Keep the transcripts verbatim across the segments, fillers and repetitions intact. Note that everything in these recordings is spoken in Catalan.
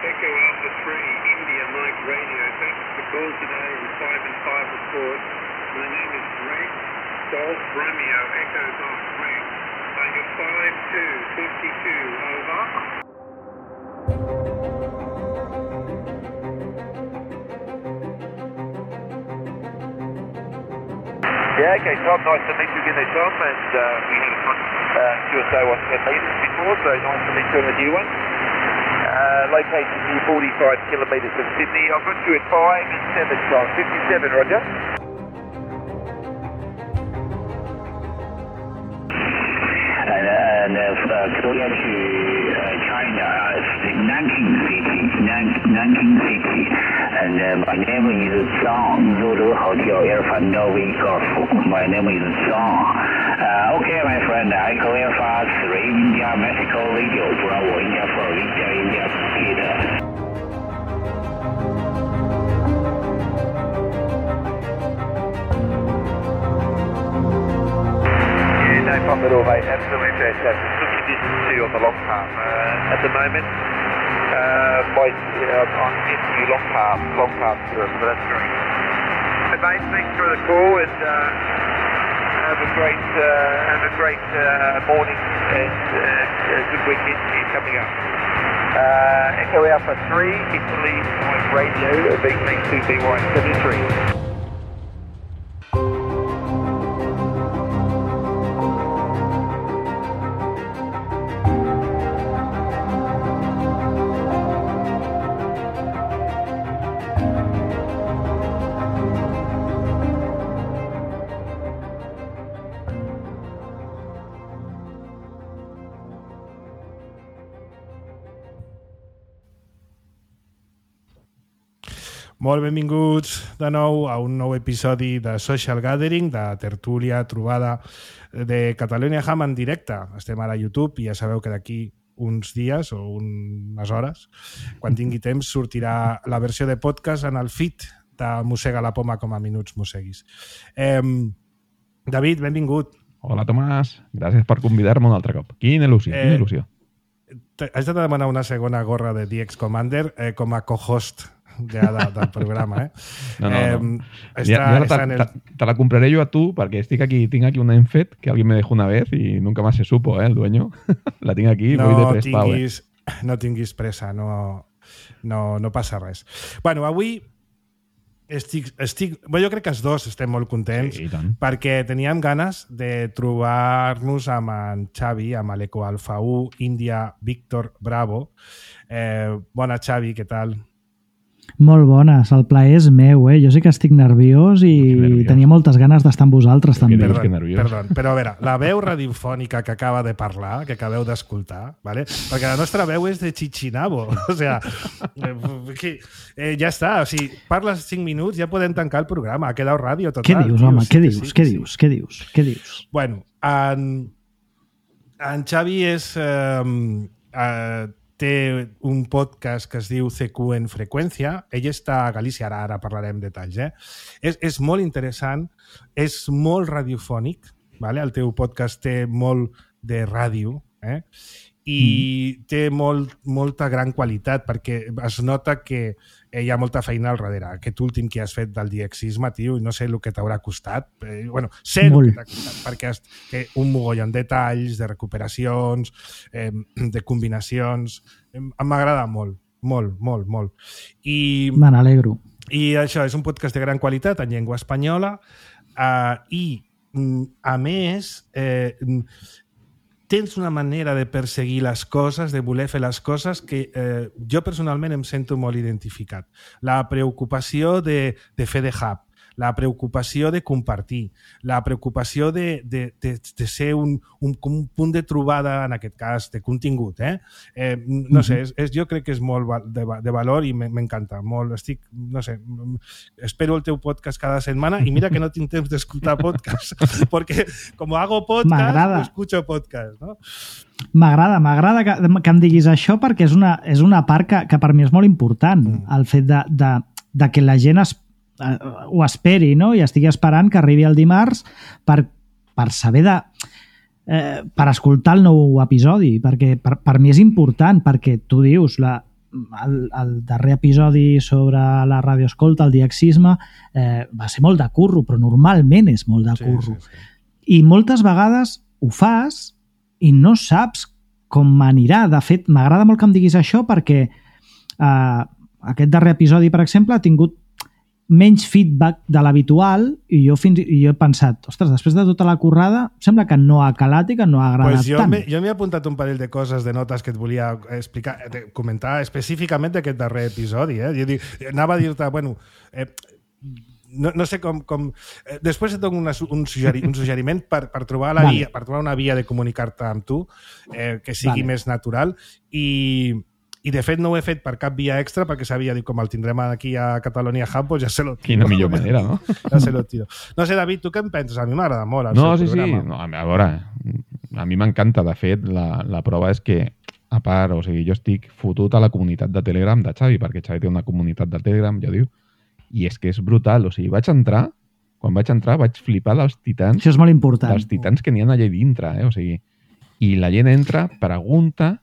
Echo Alpha three, India Mike Radio. Thanks for the call today on five and five report. My name is Greg Golf Romeo, Echo Golf Greg. Tiger five two fifty-two, over. Yeah, okay, Tom, nice to meet you again there, Tom, and uh, we had a fun uh, Q S A one ten metres before, so nice to meet you on a new one. Uh, location near forty-five kilometres from Sydney. I've got you at five and seven, Tom. fifty-seven, Roger. And, and uh, Korea to uh, China, uh, Nanking City, Nan- Nanking City. And uh, my name is Zhang, Zulu Hotel Alpha Novi Golf. My name is Zhang. Uh, okay, my friend, I call Alpha three India Mexico Radio, Bravo India four India India Peter. Yeah, no problem at all, mate. Absolutely fantastic. Good conditions too on the long path uh, at the moment. Uh, by, you know, I'm getting you long path, long path through it, so that's great. Hey, mate, thanks for the call, and uh, have a great, uh, have a great uh, morning and uh, a good weekend here coming up. Uh, Echo Alpha three, Italy Mike Radio, B T two B Y seventy-three. Molt benvinguts de nou a un nou episodi de Social Gathering, de tertúlia, trobada de Catalonia Ham en directe. Estem ara a YouTube i ja sabeu que d'aquí uns dies o unes hores, quan tingui temps, sortirà la versió de podcast en el feed de Mossega la Poma com a Minuts Mosseguis. Eh, David, benvingut. Hola, Tomàs. Gràcies per convidar-me un altre cop. Quina il·lusió, eh, quina il·lusió. Has de demanar una segona gorra de D X Commander eh, com a co-host ja de, del programa, eh? No, no, eh, no. Està, ya, ya està te, en el... te, te la compraré yo a tú, porque estic aquí, tengo aquí una Enfet que alguien me dejó una vez y nunca más se supo, ¿eh? El dueño. La tengo aquí, no voy de tres pau, eh? No tinguis pressa, no, no, no passa res. Bueno, avui estic, estic... Bueno, jo crec que els dos estem molt contents, sí, perquè teníem ganes de trobar-nos amb en Xavi, amb l'Eco Alfa u, India, Víctor, Bravo. Eh, bona, Xavi, què tal? Molt bones, el plaer és meu, eh? Jo sé que estic nerviós i nerviós. Tenia moltes ganes d'estar amb vosaltres també. Perdó, perdó, però a veure, la veu radiofònica que acaba de parlar, que acabeu d'escoltar, ¿vale? Perquè la nostra veu és de Chichinabo, o sea, que, eh, ja està, o sigui, parles cinc minuts, ja podem tancar el programa, ha quedat ràdio total. Què dius, home, què dius, què dius, què dius, què dius? Bueno, en, en Xavi és... Eh, eh, té un podcast que es diu C Q en freqüència. Ell està a Galícia, ara, ara parlarem detalls. Eh? És, és molt interessant, és molt radiofònic, vale? El teu podcast té molt de ràdio, eh? i mm. té molt, molta gran qualitat, perquè es nota que hi ha molta feina al darrere. Aquest últim que has fet del diexisme, tio, no sé el que t'haurà costat. Eh, bueno, sé el que t'ha costat, perquè has, té un mogollon de detalls, de recuperacions, eh, de combinacions. Eh, m'agrada molt, molt, molt, molt. I, Me n'alegro. I això, és un podcast de gran qualitat en llengua espanyola eh, i, a més, eh, tens una manera de perseguir les coses, de voler fer les coses que eh, jo personalment em sento molt identificat. La preocupació de, de fer de hub, la preocupació de compartir, la preocupació de, de, de, de ser un, un, un punt de trobada, en aquest cas, de contingut. Eh? Eh, no sé, és, és, jo crec que és molt de, de valor i m'encanta. Molt, estic, no sé, espero el teu podcast cada setmana i mira que no tinc temps d'escoltar podcast, perquè com hago podcast, no escucho podcast, no? M'agrada, m'agrada que, que em diguis això perquè és una, és una part que, que per mi és molt important, mm. el fet de, de, de que la gent es ho esperi, no? I estigui esperant que arribi el dimarts per, per saber de... Eh, per escoltar el nou episodi, perquè per, per mi és important, perquè tu dius, la, el, el darrer episodi sobre la radioescolta, el diaxisme, eh, va ser molt de curro, però normalment és molt de curro. Sí, sí, sí. I moltes vegades ho fas i no saps com anirà. De fet, m'agrada molt que em diguis això perquè eh, aquest darrer episodi, per exemple, ha tingut menys feedback de l'habitual i jo, fins, i jo he pensat, ostres, després de tota la currada, sembla que no ha calat i que no ha agradat pues jo tant. Me, jo m'he apuntat un parell de coses, de notes que et volia explicar, comentar específicament d'aquest darrer episodi. Eh? Jo dic, anava a dir-te, bueno, eh, no, no sé com... com eh, després et dono una, un, suggeri, un suggeriment per, per, trobar la vale. via, per trobar una via de comunicar-te amb tu eh, que sigui vale. més natural i... I, de fet, no ho he fet per cap via extra perquè sabia, dic, com el tindrem aquí a Catalonia Hub, pues ja se lo tiro. Quina millor manera, no? Ja se lo tiro. No sé, David, tu què em penses? A mi m'agrada molt el no, seu sí, programa. Sí. No, a veure, a mi m'encanta. De fet, la, la prova és que, a part, o sigui, jo estic fotut a la comunitat de Telegram de Xavi, perquè Xavi té una comunitat de Telegram, ja diu, i és que és brutal. O sigui, vaig entrar, quan vaig entrar vaig flipar dels titans. Això és molt important. Dels titans que n'hi ha allà dintre, eh? O sigui, i la gent entra, pregunta,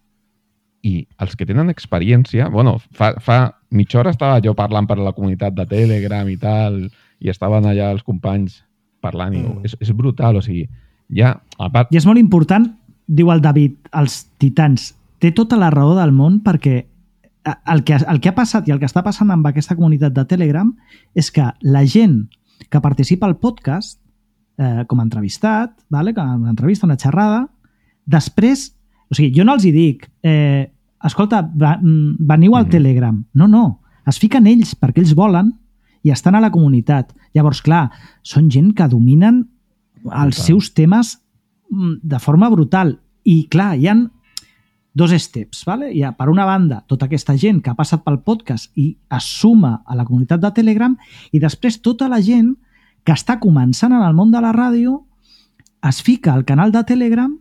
i els que tenen experiència... Bueno, fa, fa mitja hora estava jo parlant per a la comunitat de Telegram i tal, i estaven allà els companys parlant, i mm. és, és brutal, o sigui, ja... A part... I és molt important, diu el David, els titans, té tota la raó del món perquè el que, el que ha passat i el que està passant amb aquesta comunitat de Telegram és que la gent que participa al podcast, eh, com a entrevistat, vale? Com a una entrevista, una xerrada, després... O sigui, jo no els hi dic, eh, escolta, va, veniu al mm-hmm. Telegram. No, no, es fiquen ells perquè ells volen i estan a la comunitat. Llavors, clar, són gent que dominen els brutal. seus temes de forma brutal. I, clar, hi ha dos steps, ¿vale? Hi ha, per una banda, tota aquesta gent que ha passat pel podcast i es suma a la comunitat de Telegram i després tota la gent que està començant en el món de la ràdio es fica al canal de Telegram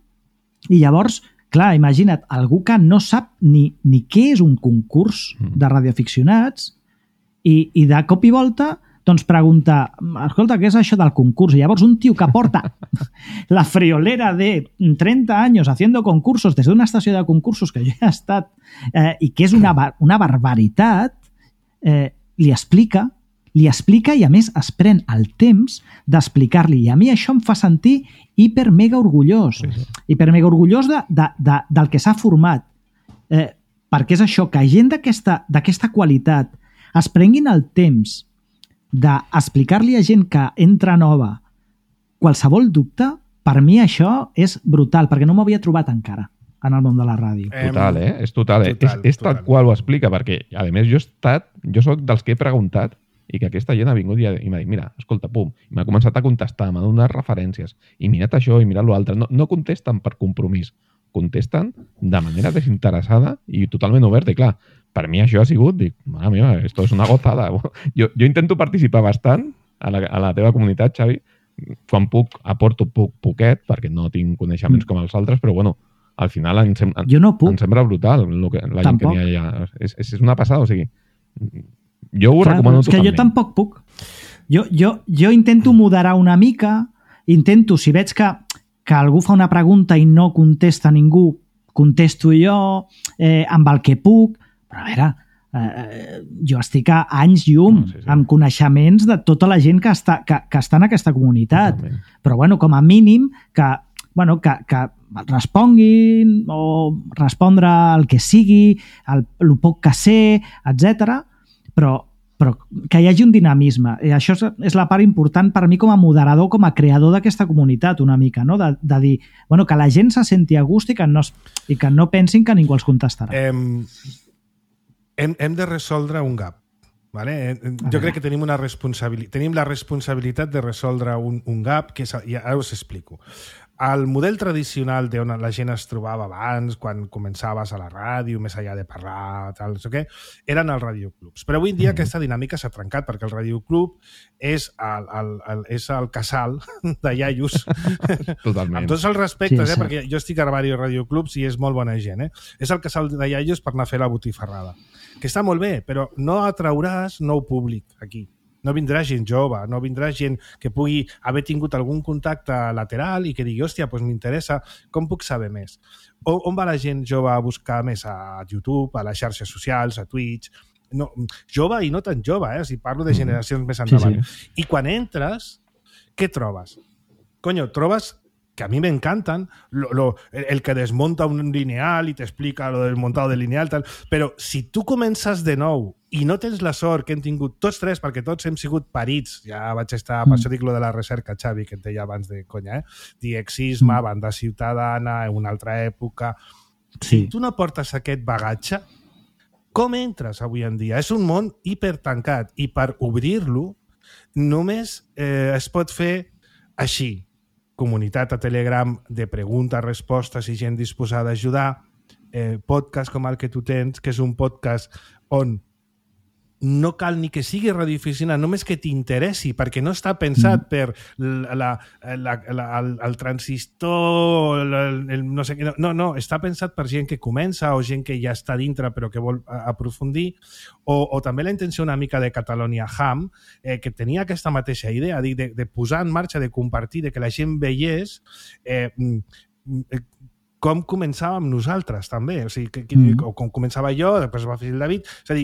i llavors... Clar, imagina't, algú que no sap ni, ni què és un concurs de radioaficionats i, i de cop i volta doncs pregunta, escolta, què és això del concurs? I llavors un tio que porta la friolera de trenta anys haciendo concursos des d'una estació de concursos que jo he estat eh, i que és una, una barbaritat, eh, li explica li explica i a més es pren el temps d'explicar-li i a mi això em fa sentir hiper mega orgullós sí, sí. hiper mega orgullós de, de, de, del que s'ha format eh, perquè és això, que gent d'aquesta qualitat es prenguin el temps d'explicar-li a gent que entra nova qualsevol dubte, per mi això és brutal, perquè no m'ho havia trobat encara en el món de la ràdio. Total, eh? És total, eh? total és, és tal qual ho explica, perquè a més jo he estat, jo soc dels que he preguntat i que aquesta gent ha vingut i, i m'ha dit, mira, escolta, pum, i m'ha començat a contestar, m'ha donat referències, i mirat això i mirat l'altre. No, no contesten per compromís, contesten de manera desinteressada i totalment oberta. I clar, per mi això ha sigut, dic, mare meva, esto és una gozada. Jo, jo intento participar bastant a la, a la teva comunitat, Xavi, quan puc, aporto poc, poquet, perquè no tinc coneixements com els altres, però bueno, al final em, sem jo no puc. em sembla brutal el que, la gent que n'hi ha allà. És, és una passada, o sigui... Jo ho Clar, recomano és que totalment. jo tampoc puc. Jo, jo, jo intento moderar una mica, intento, si veig que, que algú fa una pregunta i no contesta ningú, contesto jo eh, amb el que puc, però a veure, eh, jo estic a anys llum, no, sí, sí. amb coneixements de tota la gent que està, que, que està en aquesta comunitat. Totalment. Però bueno, com a mínim que, bueno, que, que responguin o respondre el que sigui, el, el poc que sé, etcètera, però, però que hi hagi un dinamisme. I això és, és la part important per mi com a moderador, com a creador d'aquesta comunitat, una mica, no? de, de dir bueno, que la gent se senti a gust i que no, i que no pensin que ningú els contestarà. Hem, hem, hem de resoldre un gap. Vale? Jo crec que tenim, una responsabilitat, tenim la responsabilitat de resoldre un, un gap que és, ja, ara us explico. El model tradicional d'on la gent es trobava abans, quan començaves a la ràdio, més enllà de parlar, tal, no sé què, eren els radioclubs. Però avui en dia aquesta dinàmica s'ha trencat perquè el radioclub és el, el, el, és el casal de iaios. Totalment. Amb tots els respectes, sí, eh, perquè jo estic a diversos radioclubs i és molt bona gent. Eh? És el casal de iaios per anar a fer la botifarrada. Que està molt bé, però no atrauràs nou públic aquí. No vindrà gent jove, no vindrà gent que pugui haver tingut algun contacte lateral i que digui, hòstia, doncs m'interessa, com puc saber més? O, on va la gent jove a buscar més? A YouTube, a les xarxes socials, a Twitch? No, jove i no tan jove, eh? O sigui, parlo de generacions més endavant. Sí, sí. I quan entres, què trobes? Coño, trobes que a mi m'encanten, lo, lo, el que desmonta un lineal i t'explica lo desmontado del lineal, tal, però si tu comences de nou i no tens la sort que hem tingut tots tres, perquè tots hem sigut parits, ja vaig estar, mm. per això dic lo de la recerca, Xavi, que et deia abans de conya, eh? Diexisme, mm. banda ciutadana, en una altra època... Sí. Si tu no portes aquest bagatge, com entres avui en dia? És un món hipertancat i per obrir-lo només eh, es pot fer així. Comunitat a Telegram de preguntes, respostes i gent disposada a ajudar, eh, podcast com el que tu tens, que és un podcast on no cal ni que sigui radioaficionat, només que t'interessi, perquè no està pensat mm. per la, la, la, la, el, el transistor, el, el, no sé què, no, no, està pensat per gent que comença o gent que ja està dintre però que vol aprofundir, o, o també la intenció una mica de Catalonia Ham, eh, que tenia aquesta mateixa idea, de, de, de posar en marxa, de compartir, de que la gent veiés eh, eh, com començàvem nosaltres, també. O sigui, que, que, mm. o com començava jo, després va fer el David. És a dir,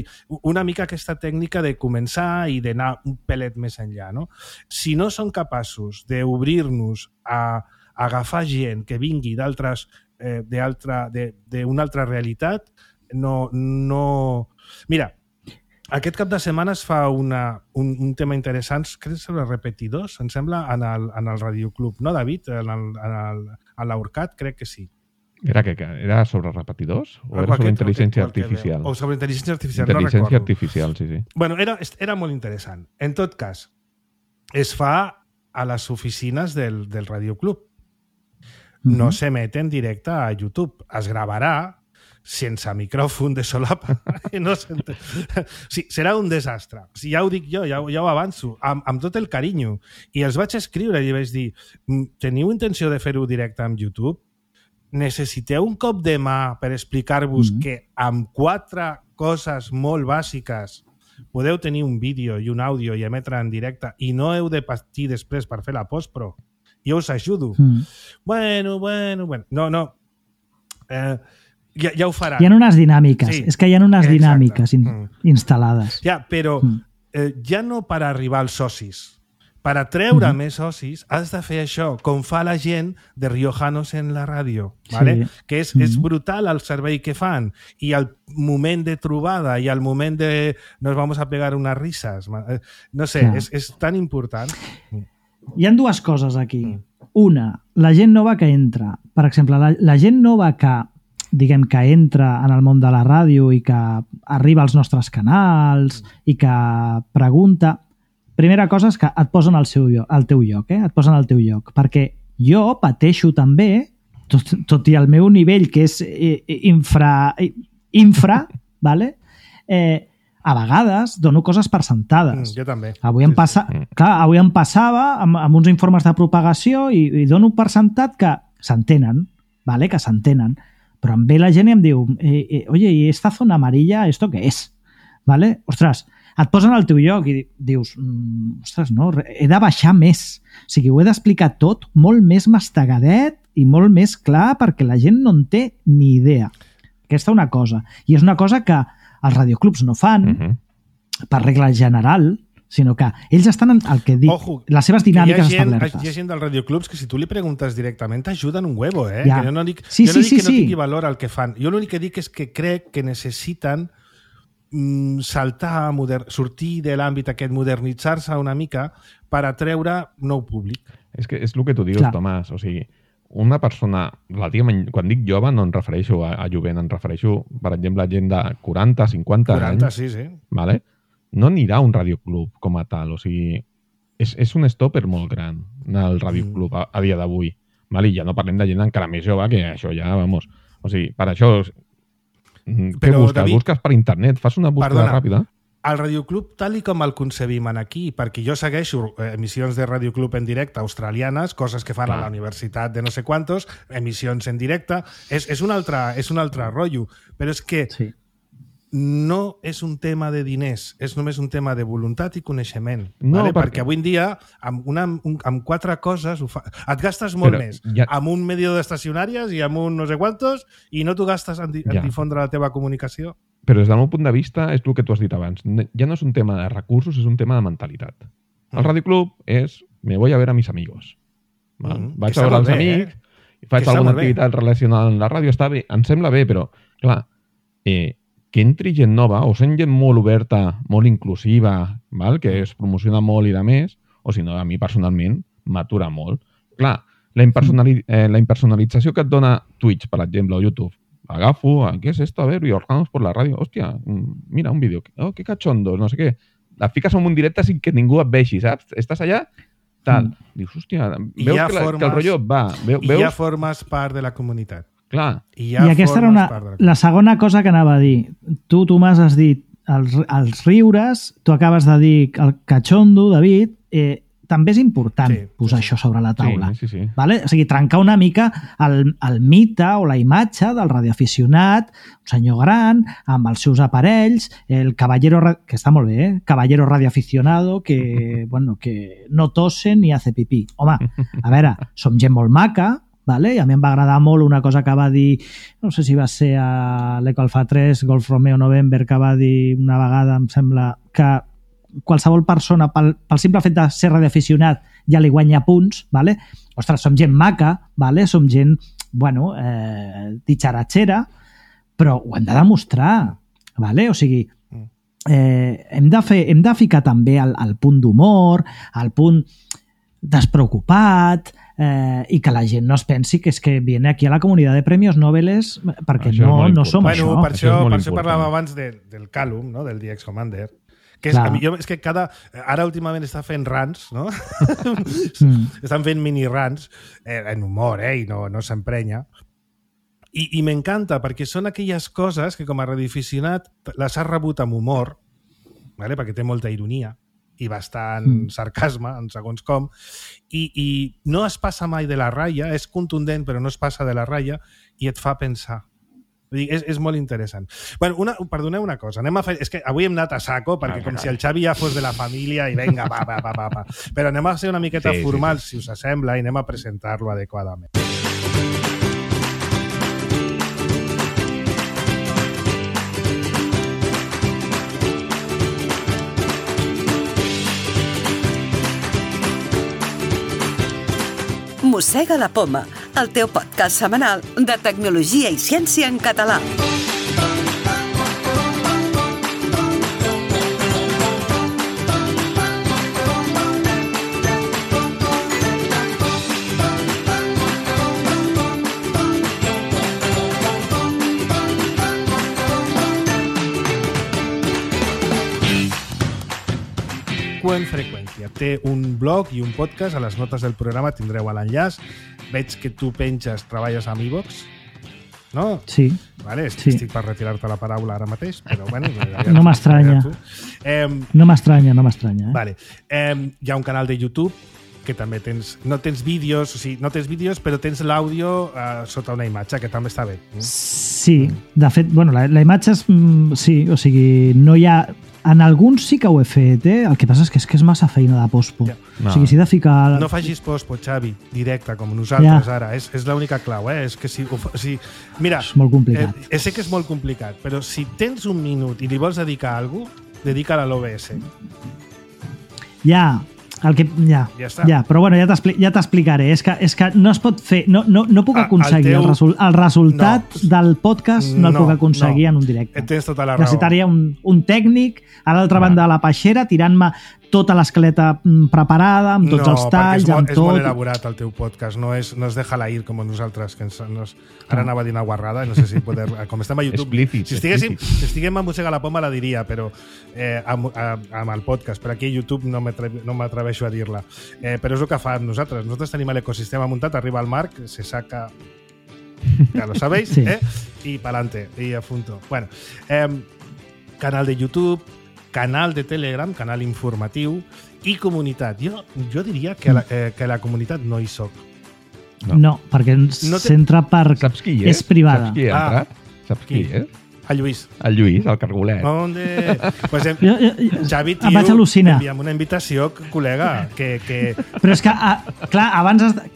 una mica aquesta tècnica de començar i d'anar un pelet més enllà, no? Si no som capaços d'obrir-nos a, a agafar gent que vingui d'altres, eh, d'una altra realitat, no, no... Mira, aquest cap de setmana es fa una, un, un tema interessant, crec que sobre repetidors, em sembla, en el, en el Radioclub, no, David? En el, en el, a l'Aurcat, crec que sí. Era, que, era sobre repetidors o era sobre intel·ligència artificial? O sobre intel·ligència artificial, no recordo. Intel·ligència artificial, sí, sí. Bueno, era, era molt interessant. En tot cas, es fa a les oficines del, del Radioclub. Mm-hmm. No s'emet en directe a YouTube. Es gravarà sense micròfon de solapa. No o sigui, serà un desastre. O sigui, ja ho dic jo, ja, ja ho avanço, amb, amb tot el carinyo. I els vaig escriure i vaig dir, teniu intenció de fer-ho directe amb YouTube? Necessiteu un cop de mà per explicar-vos mm-hmm. que amb quatre coses molt bàsiques podeu tenir un vídeo i un àudio i emetre en directe i no heu de patir després per fer la postpro. Jo us ajudo. Mm. Bueno, bueno, bueno. No, no. Eh, ja, ja ho faran. Hi ha unes dinàmiques. Sí. És que hi ha unes Exacte. dinàmiques in, mm. instal·lades. Ja, però mm. eh, ja no per arribar als socis. Per atreure mm-hmm. més socis has de fer això, com fa la gent de Riojanos en la ràdio, ¿vale? Sí. Que és, mm-hmm. és brutal el servei que fan i el moment de trobada i el moment de nos vamos a pegar unas risas. No sé, ja. és, és tan important. Hi ha dues coses aquí. Una, la gent nova que entra. Per exemple, la, la gent nova que diguem que entra en el món de la ràdio i que arriba als nostres canals i que pregunta... Primera cosa és que et posen al, seu lloc, al teu lloc, eh? Et posen al teu lloc, perquè jo pateixo també, tot, tot i el meu nivell, que és infra, infra vale? eh, a vegades dono coses per sentades. Mm, jo també. Avui em, passa, clar, avui em passava amb, amb uns informes de propagació i, i dono per sentat que s'entenen, vale? Que s'entenen, però em ve la gent i em diu eh, eh, oye, ¿y esta zona amarilla, esto qué es? Vale? Ostres, et posen al teu lloc i dius, mm, ostres, no, he de baixar més. O sigui, ho he d'explicar tot molt més mastegadet i molt més clar perquè la gent no en té ni idea. Aquesta una cosa. I és una cosa que els radioclubs no fan uh-huh. per regla general, sinó que ells estan en el que dic, Ojo, les seves dinàmiques hi gent, establertes. Hi ha gent dels radioclubs que si tu li preguntes directament t'ajuden un huevo, eh? Ja. Que jo no dic, sí, jo no sí, dic sí, que no sí. tingui valor el que fan. Jo l'únic que dic és que crec que necessiten saltar, moder... sortir de l'àmbit aquest, modernitzar-se una mica per atreure nou públic. És que és el que tu dius, Clar. Tomàs. O sigui, una persona, relativament, quan dic jove no em refereixo a, a jovent, em refereixo, per exemple, a gent de quaranta, cinquanta quaranta, anys. Sí, sí. Vale? No anirà a un radioclub com a tal. O sigui, és, és un stopper molt gran anar al radioclub mm. a, a dia d'avui. Vale? I ja no parlem de gent encara més jove, que això ja, vamos... O sigui, per això... Què Però, busques? David, busques per internet? Fas una búsqueda perdona, ràpida? El radioclub, tal i com el concebim aquí, perquè jo segueixo emissions de radioclub en directe australianes, coses que fan Clar. a la universitat de no sé quantos, emissions en directe, és, és, un, altre, és un altre rotllo. Però és que sí. no és un tema de diners, és només un tema de voluntat i coneixement. No, vale? perquè... perquè avui en dia, amb, una, un, amb quatre coses, ho fa... et gastes molt Però més ja... amb un medio d'estacionàries i amb un no sé quantos i no t'ho gastes en, di en ja. difondre la teva comunicació. Però des del meu punt de vista és el que tu has dit abans. Ja no és un tema de recursos, és un tema de mentalitat. El Radio Club és me voy a ver a mis amigos. Val? Mm, Vaig a veure els bé, amics, eh? faig que alguna activitat bé. relacionada amb la ràdio, està bé, em sembla bé, però, clar, eh, que entri gent nova, o sent gent molt oberta, molt inclusiva, val? Que es promociona molt i de més, o si no, a mi personalment m'atura molt. Clar, la, impersonali eh, la impersonalització que et dona Twitch, per exemple, o YouTube, agafo, ¿qué es esto? A ver, y orgamos por la ràdio. Hòstia, mira, un vídeo. Oh, qué cachondo, no sé què. La fiques en un directe sin que ningú et vegi, saps? Estàs allà, tal. Mm. Dius, hòstia, veus que, la, formes, que el rotllo va. Veu, I veus? ja formes part de la comunitat. Clar. I, ja I aquesta era una, la, la segona cosa que anava a dir. Tu, Tomàs, has dit els, els riures, tu acabes de dir el cachondo, David, eh, també és important sí, posar sí, això sobre la taula. Sí, sí, sí. Vale? O sigui, trencar una mica el, el mite o la imatge del radioaficionat, un senyor gran, amb els seus aparells, el caballero, que està molt bé, eh? Caballero radioaficionado, que, bueno, que no tosse ni hace pipí. Home, a veure, som gent molt maca, vale? I a mi em va agradar molt una cosa que va dir, no sé si va ser a l'Eco Alfa tres, Golf Romeo November, que va dir una vegada, em sembla, que qualsevol persona, pel, pel simple fet de ser radioaficionat, ja li guanya punts, vale? Ostres, som gent maca, vale? Som gent, bueno, eh, ditxaratxera, però ho hem de demostrar, vale? O sigui, eh, hem, de fer, hem de ficar també el, el punt d'humor, el punt despreocupat, eh, i que la gent no es pensi que és que viene aquí a la comunitat de premios Nobel perquè això no, no som bueno, això. Per això, això, per això parlava abans de, del Callum, no? Del D X Commander, que és, a mi, jo, és que cada... Ara últimament està fent rants, no? mm. Estan fent mini-rants, eh, en humor, eh? I no, no s'emprenya. I, i m'encanta, perquè són aquelles coses que com a radioaficionat les has rebut amb humor, vale? Perquè té molta ironia i bastant mm. sarcasme, en segons com, i, i no es passa mai de la ratlla, és contundent però no es passa de la ratlla i et fa pensar. És, és molt interessant. Bueno, una, perdoneu una cosa, anem a fer... És que avui hem anat a saco, perquè com si el Xavi ja fos de la família i venga, va, va, va, va, va. Però anem a ser una miqueta sí, formal, sí, sí. si us sembla, i anem a presentar-lo adequadament. Mossega la Poma, el teu podcast setmanal de tecnologia i ciència en català. En freqüència. Té un blog i un podcast, a les notes del programa tindreu l'enllaç. Veig que tu penges, treballes amb iVox, no? Sí. Vale, sí. Estic per retirar-te la paraula ara mateix, però bueno... No m'estranya. Eh, no m'estranya, no m'estranya. Eh? Vale. Eh, hi ha un canal de YouTube que també tens... No tens vídeos, o sigui, no tens vídeos, però tens l'àudio eh, sota una imatge, que també està bé. Sí. De fet, bueno, la, la imatge és... Sí, o sigui, no hi ha... En alguns sí que ho he fet, eh? El que passa és que és, que és massa feina de pospo. Ja. No. O sigui, si he de ficar... No facis pospo, Xavi, directe, com nosaltres ja. Ara. És, és l'única clau, eh? És que si... O si mira, és molt complicat. Eh, sé que és molt complicat, però si tens un minut i li vols dedicar a alguna cosa, dedica-la a l'O B S. Ja, el que... Ja, ja, està. Ja, però bueno, ja t'explicaré. És, que, és que no es pot fer... No, no, no puc aconseguir el, teu... el, resol, el resultat no. del podcast, no el no, puc aconseguir no. en un directe. Tens tota la raó. Necessitaria un, un tècnic a l'altra banda de la peixera tirant-me tota l'escaleta preparada, amb tots no, els talls, és molt, amb tot... és molt elaborat el teu podcast, no és, no és déjala ir com nosaltres, que ens, nos, ara no. anava a dir una guarrada, no sé si poder... Com estem a YouTube... Explícit, si estiguéssim, si estiguem a Mossega la Poma la diria, però eh, amb, amb el podcast, però aquí a YouTube no m'atreveixo a dir-la. Eh, però és el que fa nosaltres. Nosaltres tenim l'ecosistema muntat, arriba el Marc, se saca... Ja lo sabéis, sí. eh? I pa'lante, i a punto. Bueno, eh, canal de YouTube, canal de Telegram, canal informatiu i comunitat. Jo, jo diria que, la, eh, que la comunitat no hi soc. No, no perquè ens no te... centra per... Saps qui és? És privada. Saps qui ha entrat? Ah. Saps qui, qui és? El Lluís. El Lluís, el cargolet. Onde... Pues em... jo, jo, Xavi, tio, em vaig al·lucinar. enviem una invitació, col·lega, que... que... Però és que, a, clar, abans... Has de...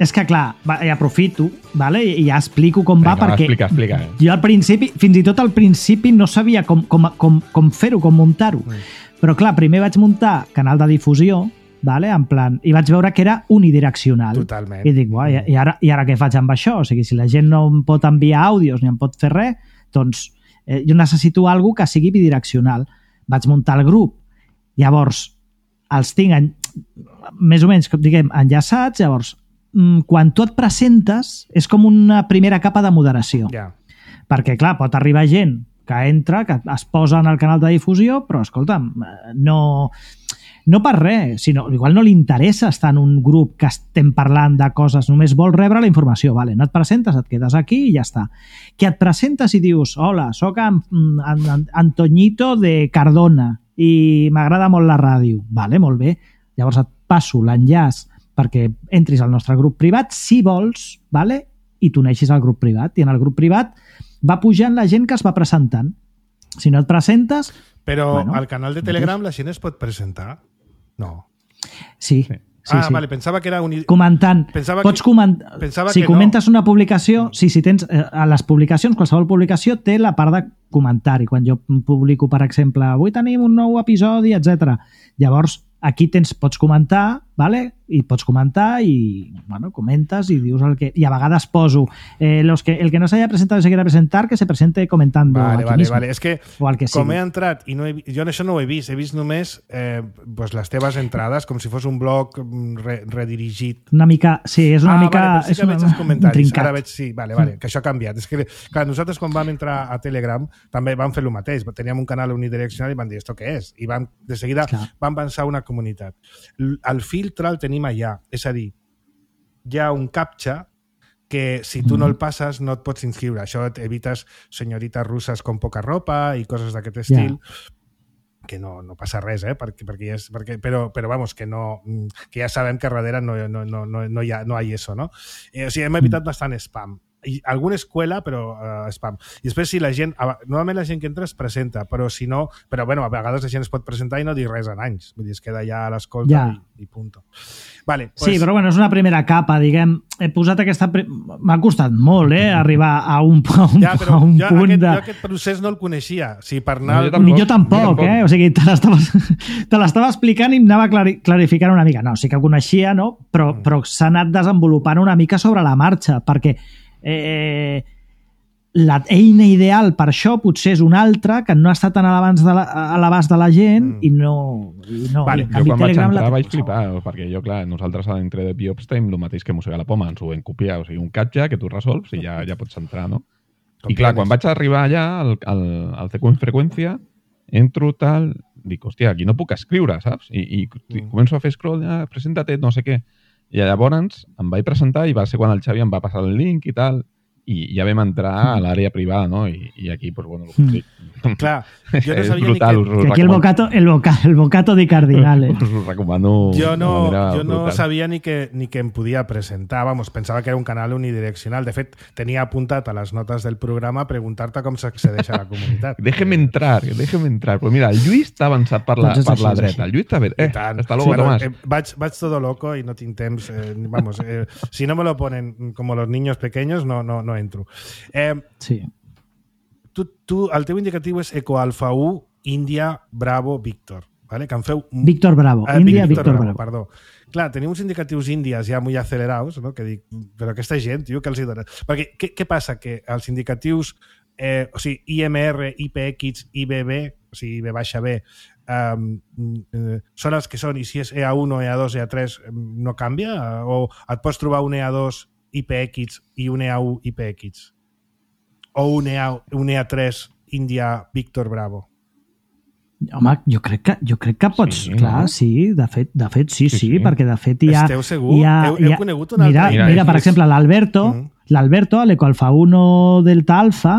És que, clar, va, i aprofito, vale? I ja explico com va, Vinga, perquè explica, explica. jo al principi, fins i tot al principi, no sabia com, com, com, com fer-ho, com muntar-ho. Mm. Però, clar, primer vaig muntar canal de difusió, vale? En plan, i vaig veure que era unidireccional. Totalment. I dic, buah, i, i, ara, i ara què faig amb això? O sigui, si la gent no em pot enviar àudios ni em pot fer res, doncs eh, jo necessito alguna que sigui bidireccional. Vaig muntar el grup. Llavors, els tinc en, més o menys, diguem, enllaçats. Llavors, quan tu et presentes, és com una primera capa de moderació. Yeah. Perquè, clar, pot arribar gent que entra, que es posa en el canal de difusió, però, escolta'm, no... No per res, sinó igual no li interessa estar en un grup que estem parlant de coses, només vol rebre la informació. Vale, no et presentes, et quedes aquí i ja està. Que et presentes i dius, hola, soc en, en, Antoñito de Cardona i m'agrada molt la ràdio. Vale, molt bé. Llavors et passo l'enllaç perquè entris al nostre grup privat, si vols, vale? I t'uneixis al grup privat. I en el grup privat va pujant la gent que es va presentant. Si no et presentes... Però bueno, al canal de Telegram la gent es pot presentar? No. Sí. sí. Sí, ah, sí. vale, pensava que era... Un... Comentant. Pensava Pots que... comentar... Pensava si que comentes no. una publicació... Sí, si tens... Eh, a les publicacions, qualsevol publicació té la part de comentari. Quan jo publico, per exemple, avui tenim un nou episodi, etcètera. Llavors, aquí tens, pots comentar, vale? I pots comentar i, bueno, comentes i dius el que... I a vegades poso eh, los que, el que no s'haya presentado se quiera presentar, que se presente comentando vale, aquí vale, mismo. Vale. És que, que com he entrat i no he, jo això no ho he vist, he vist només eh, pues les teves entrades com si fos un blog re, redirigit. Una mica, sí, és una ah, mica... Vale, sí és que una, veig els comentaris. trincat. Ara veig, sí, vale, vale, que això ha canviat. És que, clar, nosaltres quan vam entrar a Telegram també vam fer el mateix. Teníem un canal unidireccional i vam dir, ¿esto què és? I vam, de seguida clar. vam pensar una comunitat. El filtre el tenim allà, és a dir, hi ha un captcha que si tu no el passes no et pots inscriure. Això et evites senyorites russes con poca ropa i coses d'aquest estil, yeah. que no, no passa res, eh? perquè, perquè és, perquè, però, però vamos, que, no, que ja sabem que darrere no, no, no, no, no, hi ha, no hi ha eso, no? Eh, o sigui, hem evitat bastant spam. I alguna escuela, però uh, spam. I després, si la gent... Normalment la gent que entra es presenta, però si no... Però, bueno, a vegades la gent es pot presentar i no dir res en anys. Vull dir, es queda ja a l'escolta ja. i, i punto. Vale, pues... Sí, però bueno, és una primera capa, diguem. He posat aquesta... Pre... M'ha costat molt, eh, arribar a un, a un, ja, però a un jo, punt aquest, de... Jo aquest procés no el coneixia. Si per anar... No, jo tampoc, jo tampoc, eh? O sigui, te l'estava explicant i em anava clari, clarificant una mica. No, sí que ho coneixia, no? Però, mm. però s'ha anat desenvolupant una mica sobre la marxa, perquè eh, la eina ideal per això potser és una altra que no està tan a l'abast de, la, a l'abast de la gent mm. i no... I no vale, i jo quan Telegram vaig entrar la... vaig flipar, perquè jo, clar, nosaltres a dintre de Biops tenim el mateix que Mossega la Poma, ens ho vam copiar, o sigui, un catxa que tu resolts i ja, ja pots entrar, no? Com I clar, quan vaig arribar allà al, al, al C Q en freqüència, entro tal, dic, hòstia, aquí no puc escriure, saps? I, i mm. començo a fer scroll, ah, presenta-te, no sé què. I llavors em vaig presentar i va ser quan el Xavi em va passar el link i tal, i ja vam entrar a l'àrea privada, no? I, i aquí, pues, bueno, el que dic. Clar, jo no és sabia brutal, ni que... que aquí el bocato, el, boca, el bocato di cardinale. Us ho recomano. Jo no, jo no brutal. sabia ni que, ni que em podia presentar. Vamos, pensava que era un canal unidireccional. De fet, tenia apuntat a les notes del programa preguntar-te com s'accedeix a la comunitat. Déjeme entrar, déjeme entrar. Però mira, el Lluís està avançat per la, doncs per la així, dreta. El Lluís està bé. Eh, hasta luego, sí, Tomàs. Eh, vaig, vaig todo loco i no tinc temps. Eh, vamos, eh, si no me lo ponen como los niños pequeños, no, no, no entro. Eh, sí. Tu, tu, el teu indicatiu és Eco Alfa u, Índia, Bravo, Víctor. Vale? Que en feu... Víctor Bravo. Ah, Índia, Víctor, Víctor Bravo. Bravo. Perdó. Clar, tenim uns indicatius índies ja molt acelerados, no? Que dic, però aquesta gent, tio, que els hi dona... Perquè què, què passa? Que els indicatius, eh, o sigui, I M R, I P X, I B B, o sigui, I B baixa B, um, eh, són els que són, i si és E A u, E A dos, E A tres, no canvia? O et pots trobar un E A dos I P X i un E A u I P X? O un E A, un E A tres Índia Víctor Bravo? Home, jo crec que, jo crec que pots... Sí, clar, no? sí, de fet, de fet sí, sí, sí, sí, perquè de fet hi ha... Esteu segur? Hi ha, heu, heu hi ha, conegut un mira, altre? Mira, mira per exemple, l'Alberto, mm. l'Alberto, a l'Ecoalfa uno Delta Alfa,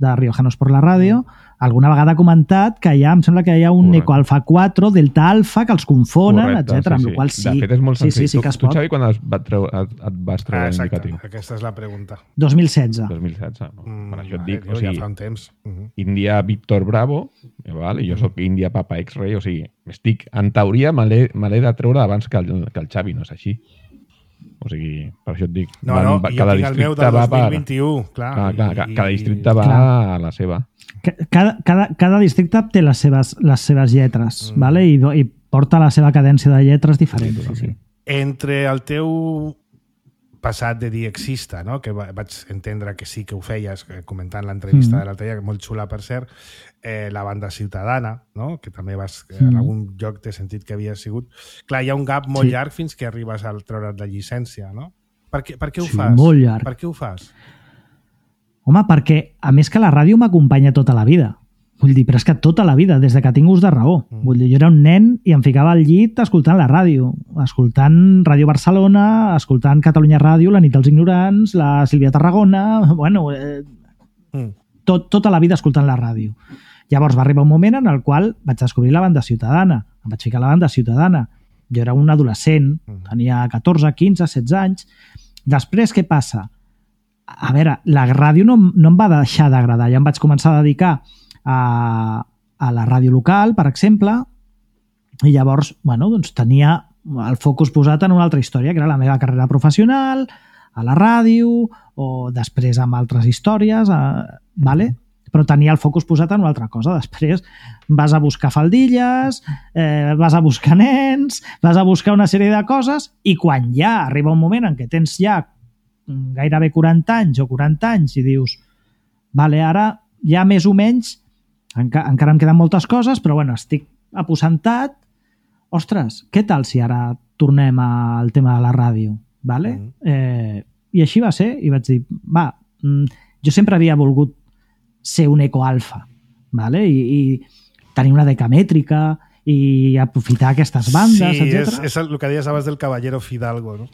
de Riojanos por la Ràdio, alguna vegada ha comentat que hi ha, em sembla que hi ha un Correcte. Eco Alfa quatre, Delta Alfa, que els confonen, Correcte, etcètera. sí, Amb sí. la qual sí. De fet, és molt sí, senzill. sí, sí que es tu, tu, pot. Xavi, quan es va treure, et, et vas treure Ah, exacte, l'indicatiu? aquesta és la pregunta. dos mil setze. dos mil setze. No? Mm, per això et vale, dic, tio, o sigui, ja fa un temps. Uh -huh. Índia Víctor Bravo, eh, val? I jo sóc Índia Papa X-Ray, o sigui, estic, en teoria me l'he me l'he de treure abans que el, que el Xavi, no és així. O sigui, per això et dic, No, van, no, va, jo cada tinc el meu districte del va dos mil per... vint-i-u, clar. Clar, clar, i- i, cada districte va Clar. a la seva. Cada, cada, cada districte té les seves, les seves lletres, Mm. vale? I, do- i porta la seva cadència de lletres diferent. Sí, sí. Entre el teu passat de diexista, no? Que va- vaig entendre que sí que ho feies, eh, comentant l'entrevista Mm. de l'altre dia, molt xula per cert, eh, la banda ciutadana, no? Que també vas, eh, Mm. en algun lloc t'he sentit que havia sigut. Clar, hi ha un gap molt Sí. llarg fins que arribes al treure't la llicència, no? Per què, per què ho Sí, fas? molt llarg. Per què ho fas? Home, perquè, a més que la ràdio m'acompanya tota la vida. Vull dir, però és que tota la vida, des de que tinc ús de raó. Mm. Vull dir, jo era un nen i em ficava al llit escoltant la ràdio, escoltant Ràdio Barcelona, escoltant Catalunya Ràdio, La nit dels ignorants, la Sílvia Tarragona, bueno, eh, Mm. tot, tota la vida escoltant la ràdio. Llavors va arribar un moment en el qual vaig descobrir la banda ciutadana. Em vaig ficar a la banda ciutadana. Jo era un adolescent, Mm. tenia catorze, quinze, setze anys. Després, què passa? A veure, la ràdio no, no em va deixar d'agradar. Ja em vaig començar a dedicar a, a la ràdio local, per exemple, i llavors, bueno, doncs tenia el focus posat en una altra història, que era la meva carrera professional, a la ràdio, o després amb altres històries, eh, vale? Però tenia el focus posat en una altra cosa. Després vas a buscar faldilles, eh, vas a buscar nens, vas a buscar una sèrie de coses, i quan ja arriba un moment en què tens ja gairebé quaranta anys o quaranta anys i dius, vale, ara ja més o menys, enca encara em queden moltes coses, però bueno, estic aposentat, ostres, què tal si ara tornem al tema de la ràdio? Vale? Mm. Eh, I així va ser, i vaig dir, va, mm, jo sempre havia volgut ser un ecoalfa, vale? I, i tenir una decamètrica i aprofitar aquestes bandes, sí, etcètera. és, és el que deies abans del Caballero Fidalgo, no?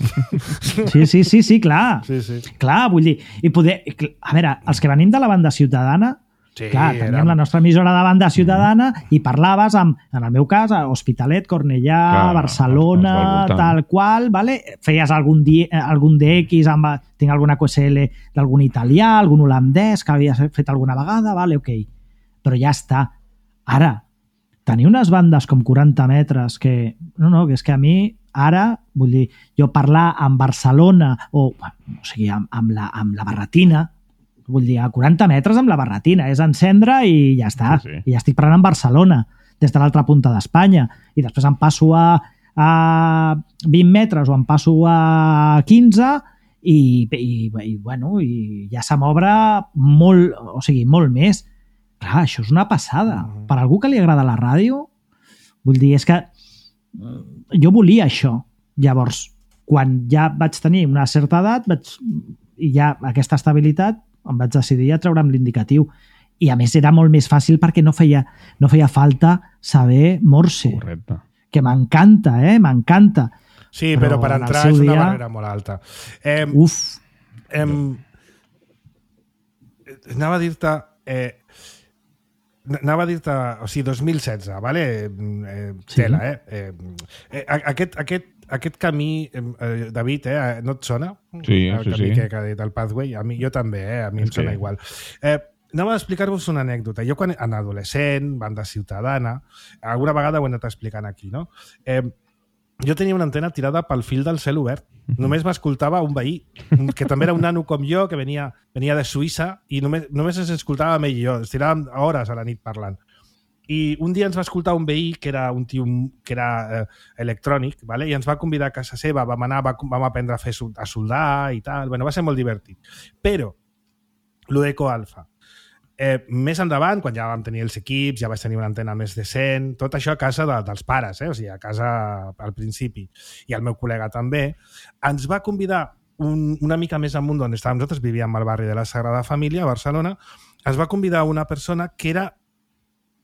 Sí, sí, sí, sí, clar. Sí, sí. Clar, vull dir, i poder... A veure, els que venim de la banda ciutadana, Sí, clar, teníem érem- la nostra emissora de banda ciutadana i parlaves amb, en el meu cas, a Hospitalet, Cornellà, Clar, Barcelona, els- els del voltant. tal qual, vale? Feies algun, di, algun D X, amb, tinc alguna Q S L d'algun italià, algun holandès que havia fet alguna vegada, vale, ok. Però ja està. Ara, tenir unes bandes com quaranta metres que... No, no, que és que a mi ara, vull dir, jo parlar amb Barcelona o, o sigui, amb, amb, la, amb la barretina, vull dir, a quaranta metres amb la barretina, és encendre i ja està. Sí, sí. I ja estic parlant amb Barcelona, des de l'altra punta d'Espanya. I després em passo a, a vint metres o em passo a quinze i, i, i, bueno, i ja se m'obre molt, o sigui, molt més. Clar, això és una passada. Mhm. Per algú que li agrada la ràdio, vull dir, és que mm, jo volia això. Llavors, quan ja vaig tenir una certa edat vaig, i ja aquesta estabilitat, em vaig decidir a treure'm l'indicatiu. I a més era molt més fàcil perquè no feia, no feia falta saber morse, Correcte. que m'encanta, eh? M'encanta. Sí, Però però, per en el entrar seu és una dia- barrera molt alta. Eh, Uf, em, anava a dir-te... Eh, anava a dir-te... O sigui, dos mil setze, vale? Eh, Sí. tela, eh? eh, eh aquest, aquest, aquest camí, eh, David, eh, no et sona? Sí, el sí, camí sí. que, que ha dit el Pathway? A mi, jo també, eh? A mi És em sona que- igual. Eh, anava a explicar-vos una anècdota. Jo, quan en adolescent, banda ciutadana, alguna vegada ho he anat explicant aquí, no? Eh, jo tenia una antena tirada pel fil del cel obert. Només m'escoltava un veí, que també era un nano com jo, que venia, venia de Suïssa, i només, només ens escoltava ell i jo. Ens tiràvem hores a la nit parlant. I un dia ens va escoltar un veí que era un tio que era eh, electrònic, vale? I ens va convidar a casa seva, vam anar, va, vam aprendre a fer sol- a soldar i tal. Bueno, va ser molt divertit. Però, lo d'Eco Alfa, eh, més endavant, quan ja vam tenir els equips, ja vaig tenir una antena més decent, tot això a casa de, dels pares, eh? O sigui, a casa al principi, i el meu col·lega també, ens va convidar un, una mica més amunt d'on estàvem nosaltres, vivíem al barri de la Sagrada Família, a Barcelona, ens va convidar una persona que era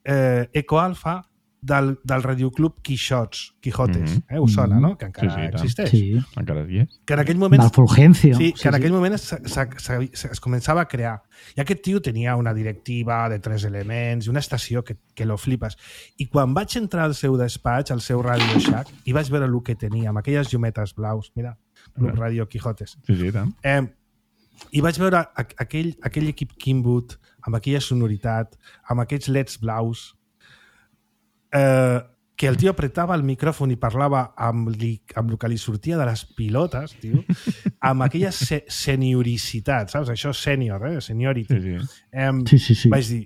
eh, ecoalfa del, del radioclub Quixots, Quijotes, mm-hmm. eh? Us sona, no? Que encara sí, sí, existeix. Sí. Encara hi és. Que en aquell moment... Del Fulgencio. Sí, que sí, en aquell sí. moment es, es, es, es començava a crear. I aquest tio tenia una directiva de tres elements i una estació que, que lo flipes. I quan vaig entrar al seu despatx, al seu Radio Shack, i vaig veure el que tenia, amb aquelles llumetes blaus, mira, Club Radio Quijotes. Sí, sí, tant. Eh, I vaig veure aquell, aquell equip Kinwood, amb aquella sonoritat, amb aquests leds blaus, eh, que el tio apretava el micròfon i parlava amb, li, amb el que li sortia de les pilotes, tio, amb aquella se senioricitat, saps? Això és sènior, eh? Seniority. Sí, sí. Eh, sí, sí, sí. Vaig dir,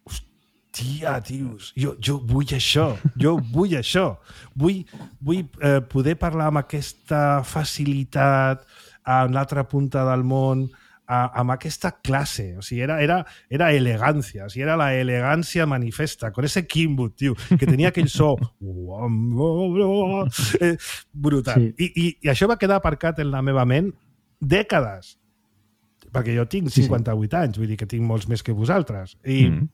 hòstia, tios, jo, jo vull això, jo vull això. Vull, vull eh, poder parlar amb aquesta facilitat a l'altra punta del món, a, amb aquesta classe. O sigui, era, era, era elegància. O sigui, era la elegància manifesta, con ese Kinwood, tio, que tenia aquell so eh, brutal. Sí. I, i, I això va quedar aparcat en la meva ment dècades. Perquè jo tinc cinquanta-vuit sí, sí. anys, vull dir que tinc molts més que vosaltres. I, mm.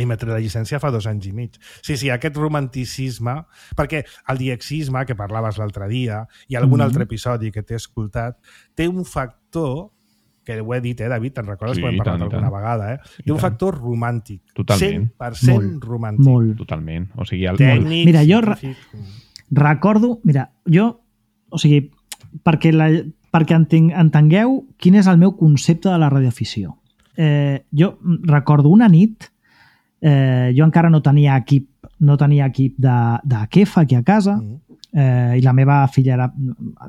i m'he tret la llicència fa dos anys i mig. Sí, sí, aquest romanticisme, perquè el diexisme, que parlaves l'altre dia, i algun mm. altre episodi que t'he escoltat, té un factor, que ho he dit, eh, David, te'n recordes? Sí, Podem parlar alguna vegada, eh? Té un factor romàntic. Totalment. cent per cent molt, romàntic. Molt. Totalment. O sigui, el... Tècnic, mira, jo re científic... recordo... Mira, jo... O sigui, perquè, la, perquè entenc, entengueu quin és el meu concepte de la radioafició. Eh, jo recordo una nit, eh, jo encara no tenia equip no tenia equip de, de quefa aquí a casa, mm. eh, i la meva filla era,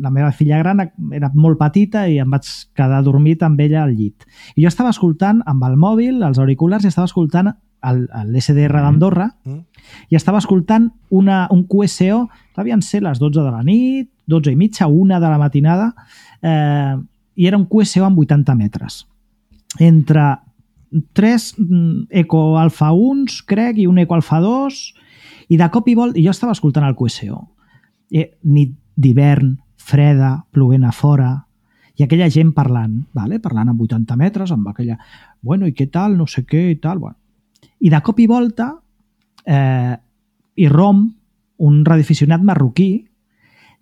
la meva filla gran era molt petita i em vaig quedar dormit amb ella al llit. I jo estava escoltant amb el mòbil, els auriculars, i estava escoltant l'S D R d'Andorra mm. i estava escoltant una, un Q S O, devien ser les dotze de la nit, dotze i mitja, una de la matinada, eh, i era un Q S O amb vuitanta metres. Entre tres Eco Alfa uns, crec, i un Eco Alfa dos, i de cop i volta, i jo estava escoltant el Q S O. Eh, nit d'hivern, freda, plovent a fora, i aquella gent parlant, vale? Parlant amb vuitanta metres, amb aquella, bueno, i què tal, no sé què, i tal, bueno. I de cop i volta, eh, irromp un radioaficionat marroquí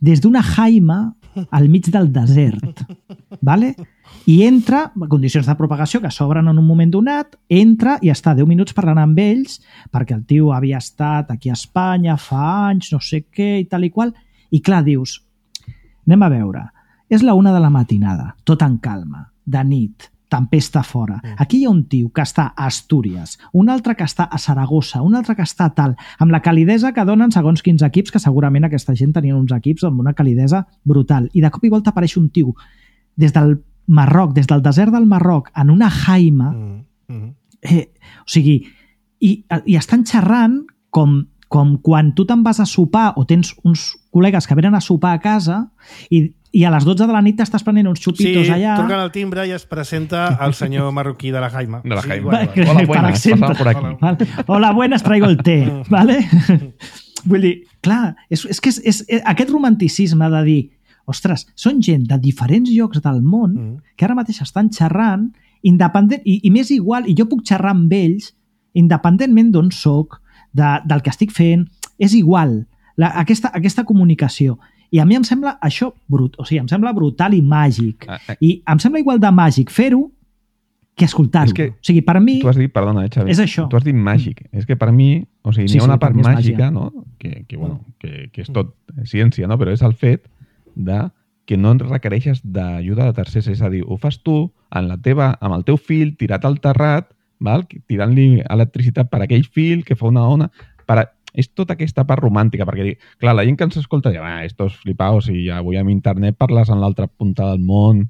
des d'una jaima al mig del desert, vale? I entra, a condicions de propagació que s'obren en un moment donat, entra i està deu minuts parlant amb ells perquè el tio havia estat aquí a Espanya fa anys, no sé què, i tal i qual, i clar, dius, anem a veure, és la una de la matinada, tot en calma, de nit, tempesta fora. Aquí hi ha un tio que està a Astúries, un altre que està a Saragossa, un altre que està a tal, amb la calidesa que donen segons quins equips, que segurament aquesta gent tenien uns equips amb una calidesa brutal. I de cop i volta apareix un tio des del Marroc, des del desert del Marroc, en una jaima, mm, mm. Eh, o sigui, i, i estan xerrant com, com quan tu te'n vas a sopar o tens uns col·legues que venen a sopar a casa i i a les dotze de la nit t'estàs prenent uns xupitos sí, allà... Sí, truquen al timbre i es presenta el senyor marroquí de la Jaima. De la Jaima. Sí, bueno, hola, buenas, exemple, por aquí. Vale. Hola, buenas, traigo el té. Vale? Vull dir, clar, és, és que és, és, és, aquest romanticisme de dir, ostres, són gent de diferents llocs del món mm. que ara mateix estan xerrant independent, i, i més igual, i jo puc xerrar amb ells independentment d'on soc, de, del que estic fent, és igual, la, aquesta, aquesta comunicació. I a mi em sembla això brut, o sigui, em sembla brutal i màgic. Ah, ah. I em sembla igual de màgic fer-ho que escoltar-ho. O sigui, per mi... Tu has dit, perdona, eh, Xavi, és això. Tu has dit màgic. És que per mi, o sigui, sí, n'hi ha una sí, part màgica, màgia. No? Que, que, bueno, que, que és tot ciència, no? Però és el fet de que no requereixes d'ajuda de tercers. És a dir, ho fas tu en la teva, amb el teu fil tirat al terrat, val? Tirant-li electricitat per aquell fil que fa una ona... Per... És tota aquesta part romàntica, perquè, clar, la gent que ens escolta diu, ah, estos flipaos, i avui amb internet parles en l'altra punta del món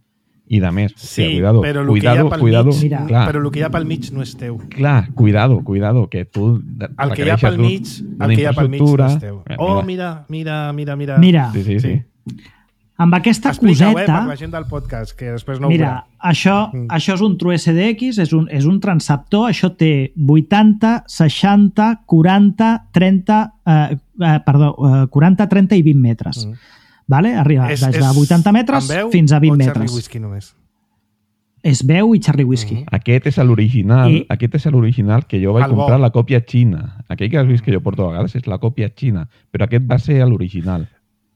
i de més. Sí, sí cuidado, però el cuidado, que hi ha pel cuidado, mig, clar, però el que hi ha pel mig no és teu. Clar, cuidado, cuidado, que tu el que hi ha pel mig, el que hi ha pel mig no és teu. Oh, mira, mira, mira, mira. Mira. Sí, sí, sí. sí. Amb aquesta Explica-ho, coseta... Eh, per la gent del podcast, que després no ho mira, veurà. això, mm. això és un TrueSDX, és un, és un transceptor, això té vuitanta, seixanta, quaranta, trenta, eh, eh, perdó, eh, quaranta, trenta i vint metres. Mm. Vale? Arriba és, des de vuitanta metres fins a vint metres. Whisky només? és veu i Charlie Whiskey. Mm. Aquest és l'original, I... aquest és l'original que jo vaig El comprar, bo. la còpia xina. Aquell que has vist que jo porto a vegades és la còpia xina, però aquest va ser l'original.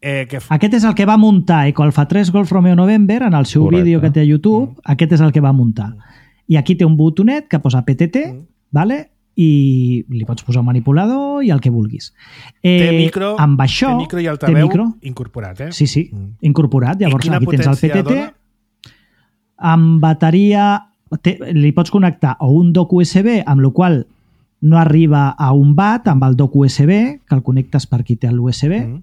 Eh, que... Aquest és el que va muntar Eco Alfa tres Golf Romeo November en el seu Correcte. vídeo que té a YouTube. Mm. Aquest és el que va muntar. I aquí té un botonet que posa P T T, mm. vale? I li pots posar un manipulador i el que vulguis. Eh, té micro, amb això, té micro i altaveu micro, incorporat, eh? Sí, sí, mm. incorporat. Llavors aquí tens el P T T. Dona? Amb bateria... Té, li pots connectar o un dock U S B, amb la qual no arriba a un watt, amb el dock U S B, que el connectes per aquí té l'U S B, mm.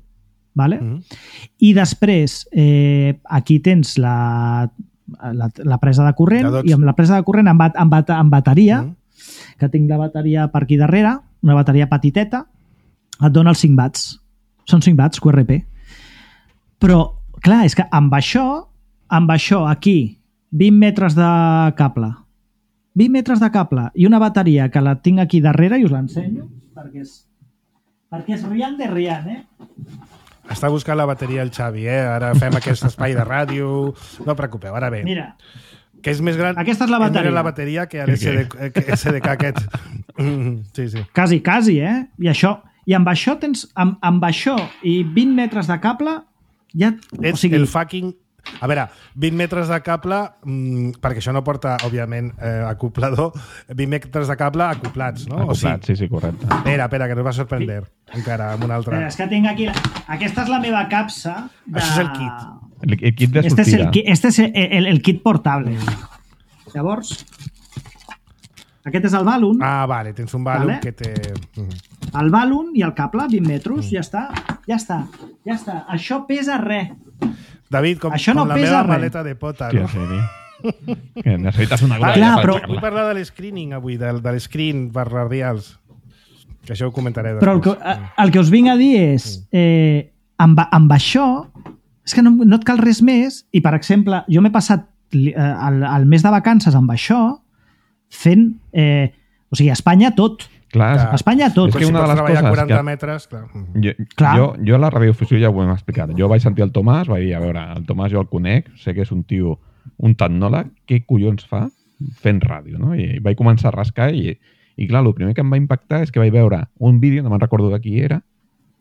vale? Mm. I després eh, aquí tens la, la, la presa de corrent, i amb la presa de corrent amb, bat, amb, bat, amb bateria, mm. que tinc la bateria per aquí darrere, una bateria petiteta, et dona els cinc watts. Són cinc watts, Q R P. Però, clar, és que amb això, amb això aquí, vint metres de cable, vint metres de cable i una bateria que la tinc aquí darrere i us l'ensenyo perquè és, perquè és riant de riant, eh? Està buscant la bateria el Xavi, eh? Ara fem aquest espai de ràdio. No preocupeu, ara bé. Mira. Que és més gran, aquesta és la bateria. És la bateria que l'S D K aquest. Sí, sí. Quasi, quasi, eh? I això, i amb això tens, amb, amb això i vint metres de cable, ja... Ets o sigui, el fucking... A veure, vint metres de cable, mmm, perquè això no porta, òbviament, eh, acoplador, vint metres de cable acoplats, no? Acoplats, sí, sí, correcte. Espera, espera, que nos va sorprendre sí. encara amb una altra. Espera, és que tinc aquí... La... Aquesta és la meva capsa de... Això és el kit. El, el kit de este sortida. És el, este és el, el, el kit portable. Llavors, aquest és el balloon. Ah, vale, tens un balloon vale? que té... El balloon i el cable, vint metres, mm. ja està, ja està, ja està. Això pesa res. David, com, Això com no la meva res. maleta de pota, no? Sí, sí. Que necessites una ah, clar, però... Vull parlar de l'escreening avui, del, de l'escreen per radials. Que això ho comentaré després. Però el que, el que us vinc a dir és, eh, amb, amb això, és que no, no et cal res més, i per exemple, jo m'he passat eh, el, el mes de vacances amb això, fent, eh, o sigui, a Espanya tot. Clar, a Espanya tot. És que una de les coses quaranta que... metres, clar. Jo, clar. Jo, jo a la radiofusió ja ho hem explicat. Jo vaig sentir el Tomàs, vaig dir, a veure, el Tomàs jo el conec, sé que és un tio, un tecnòleg, què collons fa fent ràdio, no? I vaig començar a rascar i, i clar, el primer que em va impactar és que vaig veure un vídeo, no me'n recordo de qui era,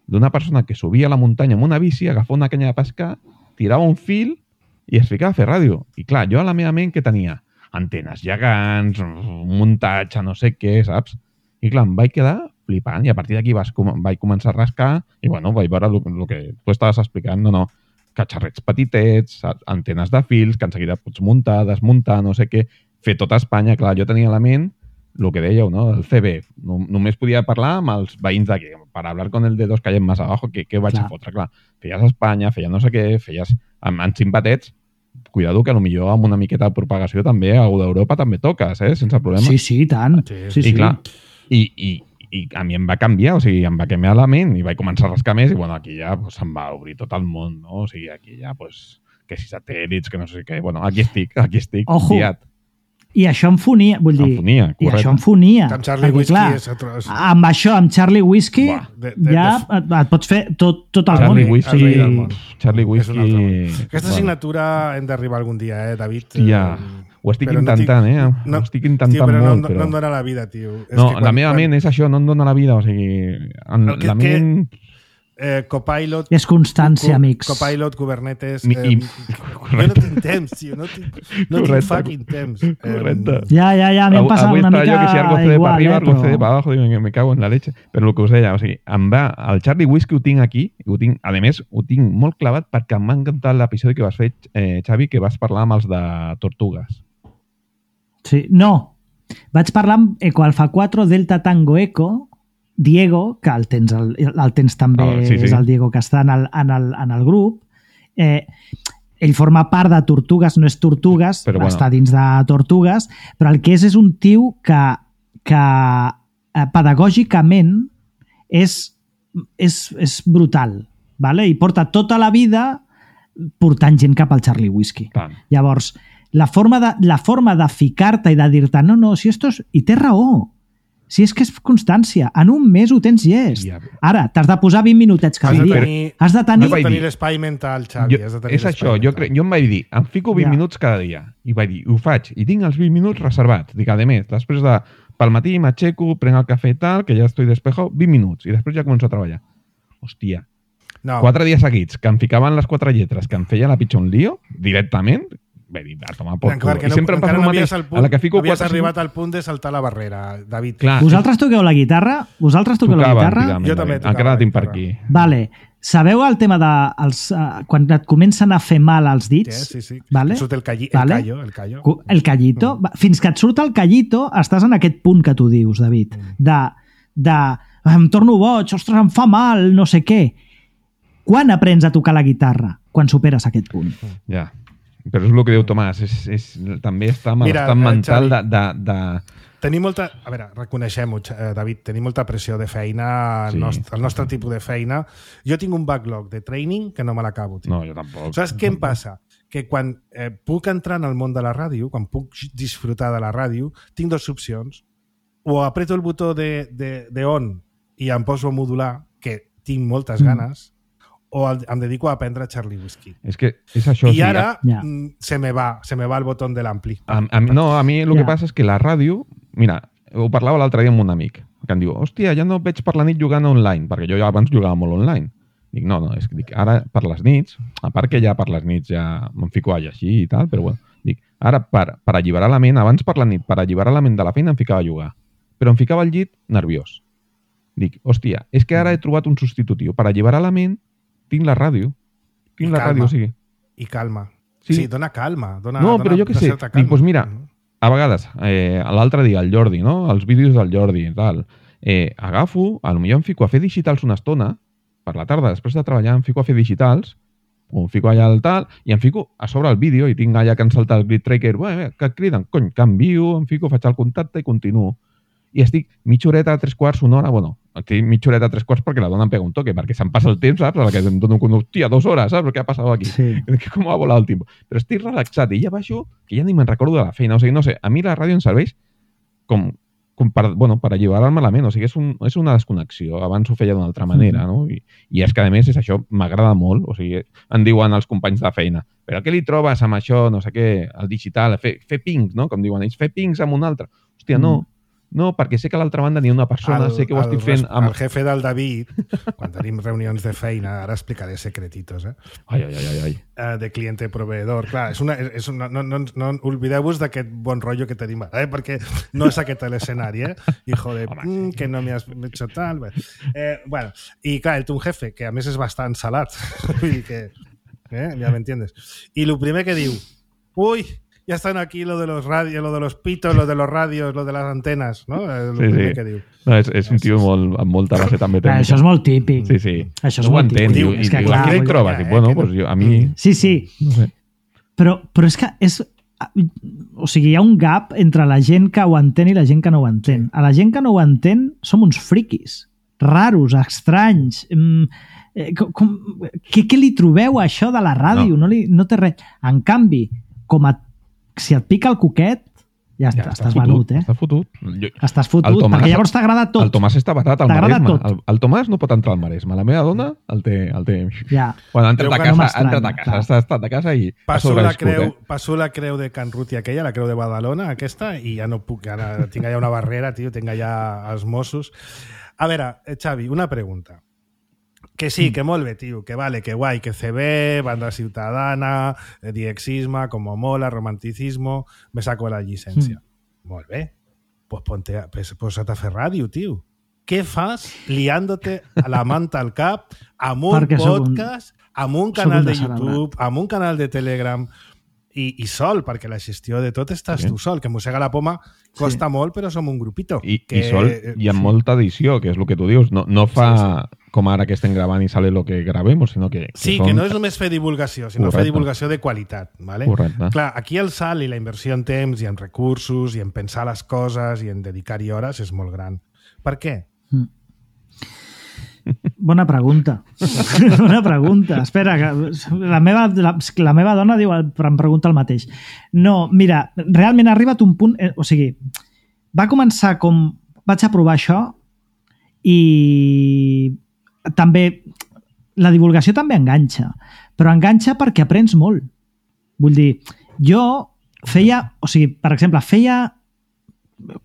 d'una persona que subia a la muntanya amb una bici, agafava una canya de pescar, tirava un fil i es ficava a fer ràdio. I clar, jo a la meva ment que tenia antenes gegants, un muntatge, no sé què, saps? I clar, em vaig quedar flipant i a partir d'aquí vaig començar a rascar i bueno, vaig veure el, el que tu estaves explicant, no, no, catxarrets petitets, antenes de fils, que en seguida pots muntar, desmuntar, no sé què, fer tot a Espanya. Clar, jo tenia a la ment el que dèieu, no? El C B. No, només podia parlar amb els veïns d'aquí. Per hablar con el de dos calles más abajo, què, què vaig clar. a fotre? Clar, feies a Espanya, feies no sé què, feies amb, amb simpatets, cuidado que potser amb una miqueta de propagació també a d'Europa també toques, eh? Sense problema. Sí, sí, tant. Sí, sí. I clar, I, i, i a mi em va canviar, o sigui, em va canviar la ment i vaig començar a rascar més i bueno, aquí ja pues, em va obrir tot el món, no? O sigui, aquí ja, pues, que si satèl·lits, que no sé què, bueno, aquí estic, aquí estic, Ojo. guiat. I això em fonia, vull dir, em fonia, i això em fonia. Amb Charlie perquè, Whiskey clar, és otro... amb això, amb Charlie Whiskey, Buah, de, de, ja de... et, et pots fer tot, tot el Charlie món. Whisky, Sí. del món. Charlie És un altre Whisky... món. Aquesta signatura hem d'arribar algun dia, eh, David? Ja, ho estic Però intentant, eh? No, ho estic intentant tio, però molt, no, però... no em dóna la vida, tio. És No, que quan, la meva quan... ment és això, no em dóna la vida, o sigui... En, que, la ment... Que, eh, Copilot... És constància, co, amics. Copilot, Kubernetes... Mi, eh, i... jo no tinc temps, tio. No tinc, no tinc fucking temps. Correcte. Eh, Ja, ja, ja, a mi em passa Avui una estava mica jo que si algo cede igual, para arriba, eh, algo cede però... para abajo, digo, me cago en la leche. Però el que us deia, o sigui, em va, el Charlie Whiskey ho tinc aquí, ho tinc, a més, ho tinc molt clavat perquè em va encantar l'episodi que vas fer, eh, Xavi, que vas parlar amb els de Tortugues. Sí, no. Vaig parlar amb Eco Alfa quatre Delta Tango Eco, Diego, que el tens, el, el tens també, oh, sí, sí. és el Diego que està en el, en el, en el grup. Eh, ell forma part de Tortugues, no és Tortugues, però bueno. està dins de Tortugues, però el que és és un tio que, que eh, pedagògicament és, és, és brutal, vale? I porta tota la vida portant gent cap al Charlie Whiskey. Tant. Llavors, la forma de, la forma de ficar-te i de dir-te no, no, si esto és... I té raó. Si és que és constància. En un mes ho tens llest. Ja. Ara, t'has de posar vint minutets cada Has de dia. tenir- Has de tenir... Has de vaig tenir dir- l'espai mental, Xavi. Jo, has de tenir és l'espai això, jo, mental. cre... jo em vaig dir, em fico vint Ja. minuts cada dia. I vaig dir, ho faig, i tinc els vint minuts reservats. Dic, a més, després de... Pel matí m'aixeco, prenc el cafè i tal, que ja estoy despejado, vint minuts, i després ja començo a treballar. Hòstia, No, quatre dies seguits, que em ficaven les quatre lletres, que em feia la pitjor un lío, directament, vaig dir, a tomar por encara culo. que I no, sempre em passa encara el no mateix. havies, al punt, A la que fico havies quatre... arribat al punt de saltar la barrera, David. Clar, Vosaltres toqueu la guitarra? Vosaltres toqueu la tocava guitarra? antigament, Jo també David. tocava Encara la la tinc per guitarra. aquí. Vale. Sabeu el tema de... Els, uh, quan et comencen a fer mal els dits? Sí, sí, sí. Vale? Surt el, calli, Vale. el callo, el callo. Cu- El callito. Va, Fins que et surt el callito, estàs en aquest punt que tu dius, David, de, de em torno boig, ostres, em fa mal, no sé què. Quan aprens a tocar la guitarra? Quan superes aquest punt. Ja. Però és el que diu Tomàs, és, és, també està amb Mira, l'estat eh, mental de, Xavi. de, de... Tenim molta... A veure, reconeixem-ho, eh, David, tenim molta pressió de feina, Sí. el, nostre, el nostre tipus de feina. Jo tinc un backlog de training que no me l'acabo. tio. No, jo tampoc. Saps què em passa? Que quan eh, puc entrar en el món de la ràdio, quan puc disfrutar de la ràdio, tinc dues opcions. O apreto el botó de, de, de on i em poso a modular, que tinc moltes Mm. ganes, o el, em dedico a aprendre Charlie Whiskey. És que és això. I ara Ja. mm, se me va, se me va el botó de l'ampli. A, a, no, a mi el Ja. que passa és que la ràdio... Mira, ho parlava l'altre dia amb un amic, que em diu, hòstia, ja no et veig per la nit jugant online, perquè jo ja abans jugava molt online. Dic, no, no, és que dic, ara per les nits, a part que ja per les nits ja me'n fico a llegir i tal, però bueno, dic, ara per, per alliberar la ment, abans per la nit, per alliberar la ment de la feina em ficava a jugar, però em ficava al llit nerviós. Dic, hòstia, és que ara he trobat un substitutiu. Per alliberar la ment, tinc la ràdio. Tinc I la calma. ràdio, o sigui... I calma. Sí. Sí, sí dona calma. Dona, No, dona però jo què una sé, certa dic, calma. doncs mira, Mhm. a vegades, eh, l'altre dia, el Jordi, no? Els vídeos del Jordi i tal, eh, agafo, a lo millor em fico a fer digitals una estona, per la tarda, després de treballar, em fico a fer digitals, o em fico allà al tal, i em fico a sobre el vídeo, i tinc allà que em salta el grid tracker, bé, que et criden, cony, canvio, em fico, faig el contacte i continuo. I estic mitja horeta, tres quarts, una hora, bueno, estic mitja horeta, tres quarts perquè la dona em pega un toque, perquè se'm passa el temps, saps? A la que em dono un hòstia, dues hores, saps? Què ha passat aquí? Sí. Que com ha volat el tiempo. Però estic relaxat i ja baixo, que ja ni me'n recordo de la feina. O sigui, no sé, a mi la ràdio em serveix com, com per, bueno, per alliberar-me la ment. O sigui, és, un, és una desconnexió. Abans ho feia d'una altra manera, no? I, I és que, a més, és això, m'agrada molt. O sigui, em diuen els companys de feina, però què li trobes amb això, no sé què, el digital, fer, fer pings, no? Com diuen ells, fer pings amb un altre. Hòstia, no. No, perquè sé que a l'altra banda n'hi ha una persona, sé que ho estic fent amb... El jefe del David, quan tenim reunions de feina, ara explicaré secretitos, eh? Ai, ai, ai, ai. Eh, de cliente-proveedor. Clar, és una, és una, no, no, no oblideu-vos d'aquest bon rotllo que tenim ara, eh? Perquè no és aquest l'escenari, eh? Hijo de... Home, Mm, que no me has hecho tal... Bé. Eh, bueno, i clar, el té un jefe, que a més és bastant salat. Vull dir que... Eh? Ja m'entiendes. I el primer que diu... Uy, ya están aquí lo de los radios, lo de los pitos, lo de los radios, lo de las antenas, ¿no? El Sí, primer sí. que diu. No, és, és un tio molt, amb molta base també Clar, tècnica. això és molt típic. Sí, sí. Això és no ho molt entén. típic. Diu, És i que, diu, clar, què li vull dir, trobes? eh, Dic, bueno, que no- pues jo, a mi... Sí, sí. No sé. Però, però és que és... O sigui, hi ha un gap entre la gent que ho entén i la gent que no ho entén. A la gent que no ho entén som uns friquis. Raros, estranys... Mm, eh, com, com, què, què li trobeu a això de la ràdio? No, no, li, no té res. En canvi, com a, si et pica el coquet, ja, ja està, estàs fotut, venut, eh? Està fotut. Jo, Estàs fotut, El Tomàs- perquè llavors t'agrada tot. el Tomàs està barat al T'agrada Maresme. tot. El, el Tomàs no pot entrar al Maresme. La meva dona el té... El té... Ja. Bueno, ha entrat Creu a que casa, no ha entrat a m'estranya, casa, clar. ha estat a casa i ha Passo la, sobreviscut, creu, eh? passo la creu de Can Ruti aquella, la creu de Badalona, aquesta, i ja no puc, ara tinc allà una barrera, tio, tinc allà els Mossos. A veure, eh, Xavi, una pregunta. Que sí, que molt bé, tio, que vale, que guai, que C B, banda ciutadana, eh, diexisme, como mola, romanticismo, me saco la llicencia. Mm. Molt bé. Pues ponte a, pues, posa't a fer ràdio, tio. Què fas liándote a la manta al cap amb un Perquè sóc un- podcast, amb un sóc canal un de descerebrat. YouTube, amb un canal de Telegram i, i sol, perquè la gestió de tot estàs Sí. tu sol, que mossega la poma costa molt, però som un grupito. I, que, i sol, i amb molta edició, que és el que tu dius. No, no fa Sí, com ara que estem gravant i sale lo que gravemos, sinó que, que Sí, són... que no és només fer divulgació, sinó Correcte. fer divulgació de qualitat. ¿vale? Correcte. Clar, aquí el salt i la inversió en temps i en recursos i en pensar les coses i en dedicar-hi hores és molt gran. Per què? Bona pregunta. Bona pregunta. Espera, que la meva, la, la meva dona diu, em pregunta el mateix. No, mira, realment ha arribat un punt... Eh, o sigui, va començar com... vaig a provar això i també la divulgació també enganxa, però enganxa perquè aprens molt. Vull dir, jo feia, o sigui, per exemple, feia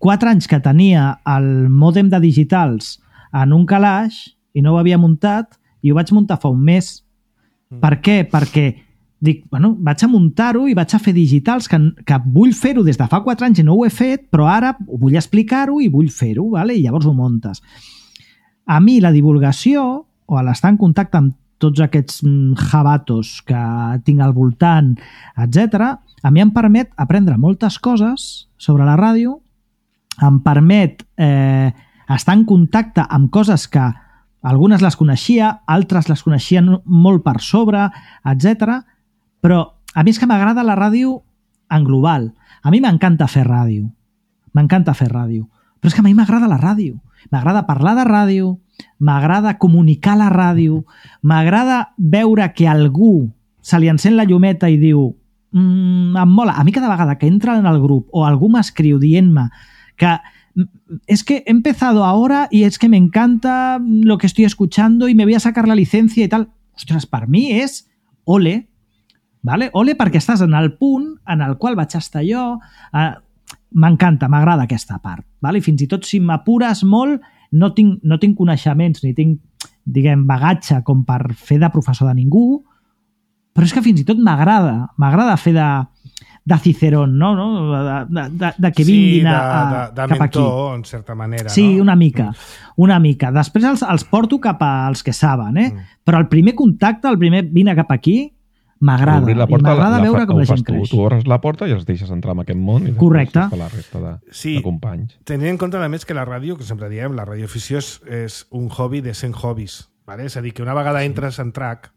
quatre anys que tenia el mòdem de digitals en un calaix i no ho havia muntat i ho vaig muntar fa un mes. Mm. Per què? Perquè dic, bueno, vaig a muntar-ho i vaig a fer digitals, que, que vull fer-ho des de fa quatre anys i no ho he fet, però ara vull explicar-ho i vull fer-ho, vale? I llavors ho muntes. A mi la divulgació, o l'estar en contacte amb tots aquests jabatos que tinc al voltant, etcètera, a mi em permet aprendre moltes coses sobre la ràdio, em permet eh, estar en contacte amb coses que algunes les coneixia, altres les coneixien molt per sobre, etcètera. Però a mi és que m'agrada la ràdio en global. A mi m'encanta fer ràdio. M'encanta fer ràdio. Però és que a mi m'agrada la ràdio. M'agrada parlar de ràdio, m'agrada comunicar la ràdio, m'agrada veure que algú se li encén la llumeta i diu mmm, em mola. A mi cada vegada que entra en el grup o algú m'escriu dient-me que es que he empezado ahora y es que me encanta lo que estoy escuchando y me voy a sacar la licencia y tal. Ostres, per mi és ole, vale? Ole perquè estàs en el punt en el qual vaig estar jo. Eh, m'encanta, m'agrada aquesta part. Vale? I fins i tot si m'apures molt, no tinc, no tinc coneixements ni tinc, diguem, bagatge com per fer de professor de ningú, però és que fins i tot m'agrada, m'agrada fer de, de Cicerón, no? no? De, de, de que vinguin sí, de, a, a, de, de cap aquí. mentor, en certa manera. Sí, no? una mica, una mica. Després els, els porto cap als que saben, eh? Mm. Però el primer contacte, el primer vine cap aquí, m'agrada. I m'agrada veure com la gent tu, creix. Tu obres la porta i els deixes entrar en aquest món i correcte. La resta de, sí, de companys. Tenint en compte, a més, que la ràdio, que sempre diem, la radioafició és, és un hobby de cent hobbies. Vale? És a dir, que una vegada entres en track,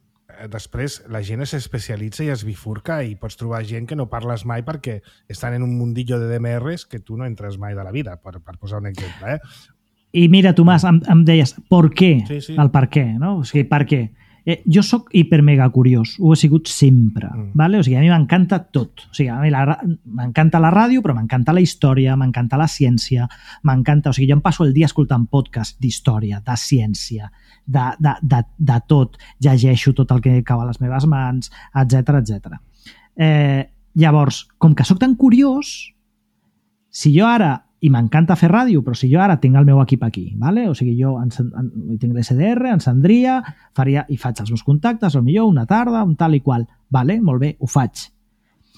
després la gent s'especialitza i es bifurca i pots trobar gent que no parles mai perquè estan en un mundillo de D M Rs que tu no entres mai de la vida, per, per posar un exemple. Eh? I mira, Tomàs, em, em deies, per què? Sí, sí. El per què, no? O sigui, per què? Eh, jo sóc hipermega curiós, ho he sigut sempre, mm. vale? O sigui, a mi m'encanta tot. O sigui, a mi la, m'encanta la ràdio, però m'encanta la història, m'encanta la ciència, m'encanta... O sigui, jo em passo el dia escoltant podcast d'història, de ciència, de, de, de, de tot. Llegeixo tot el que cau a les meves mans, etcètera, etcètera. Eh, llavors, com que sóc tan curiós, si jo ara... I m'encanta fer ràdio, però si jo ara tinc el meu equip aquí, vale? O sigui, jo en, en, tinc l'S D R, encendria, faria, i faig els meus contactes, potser una tarda, un tal i qual. Vale? Molt bé, ho faig.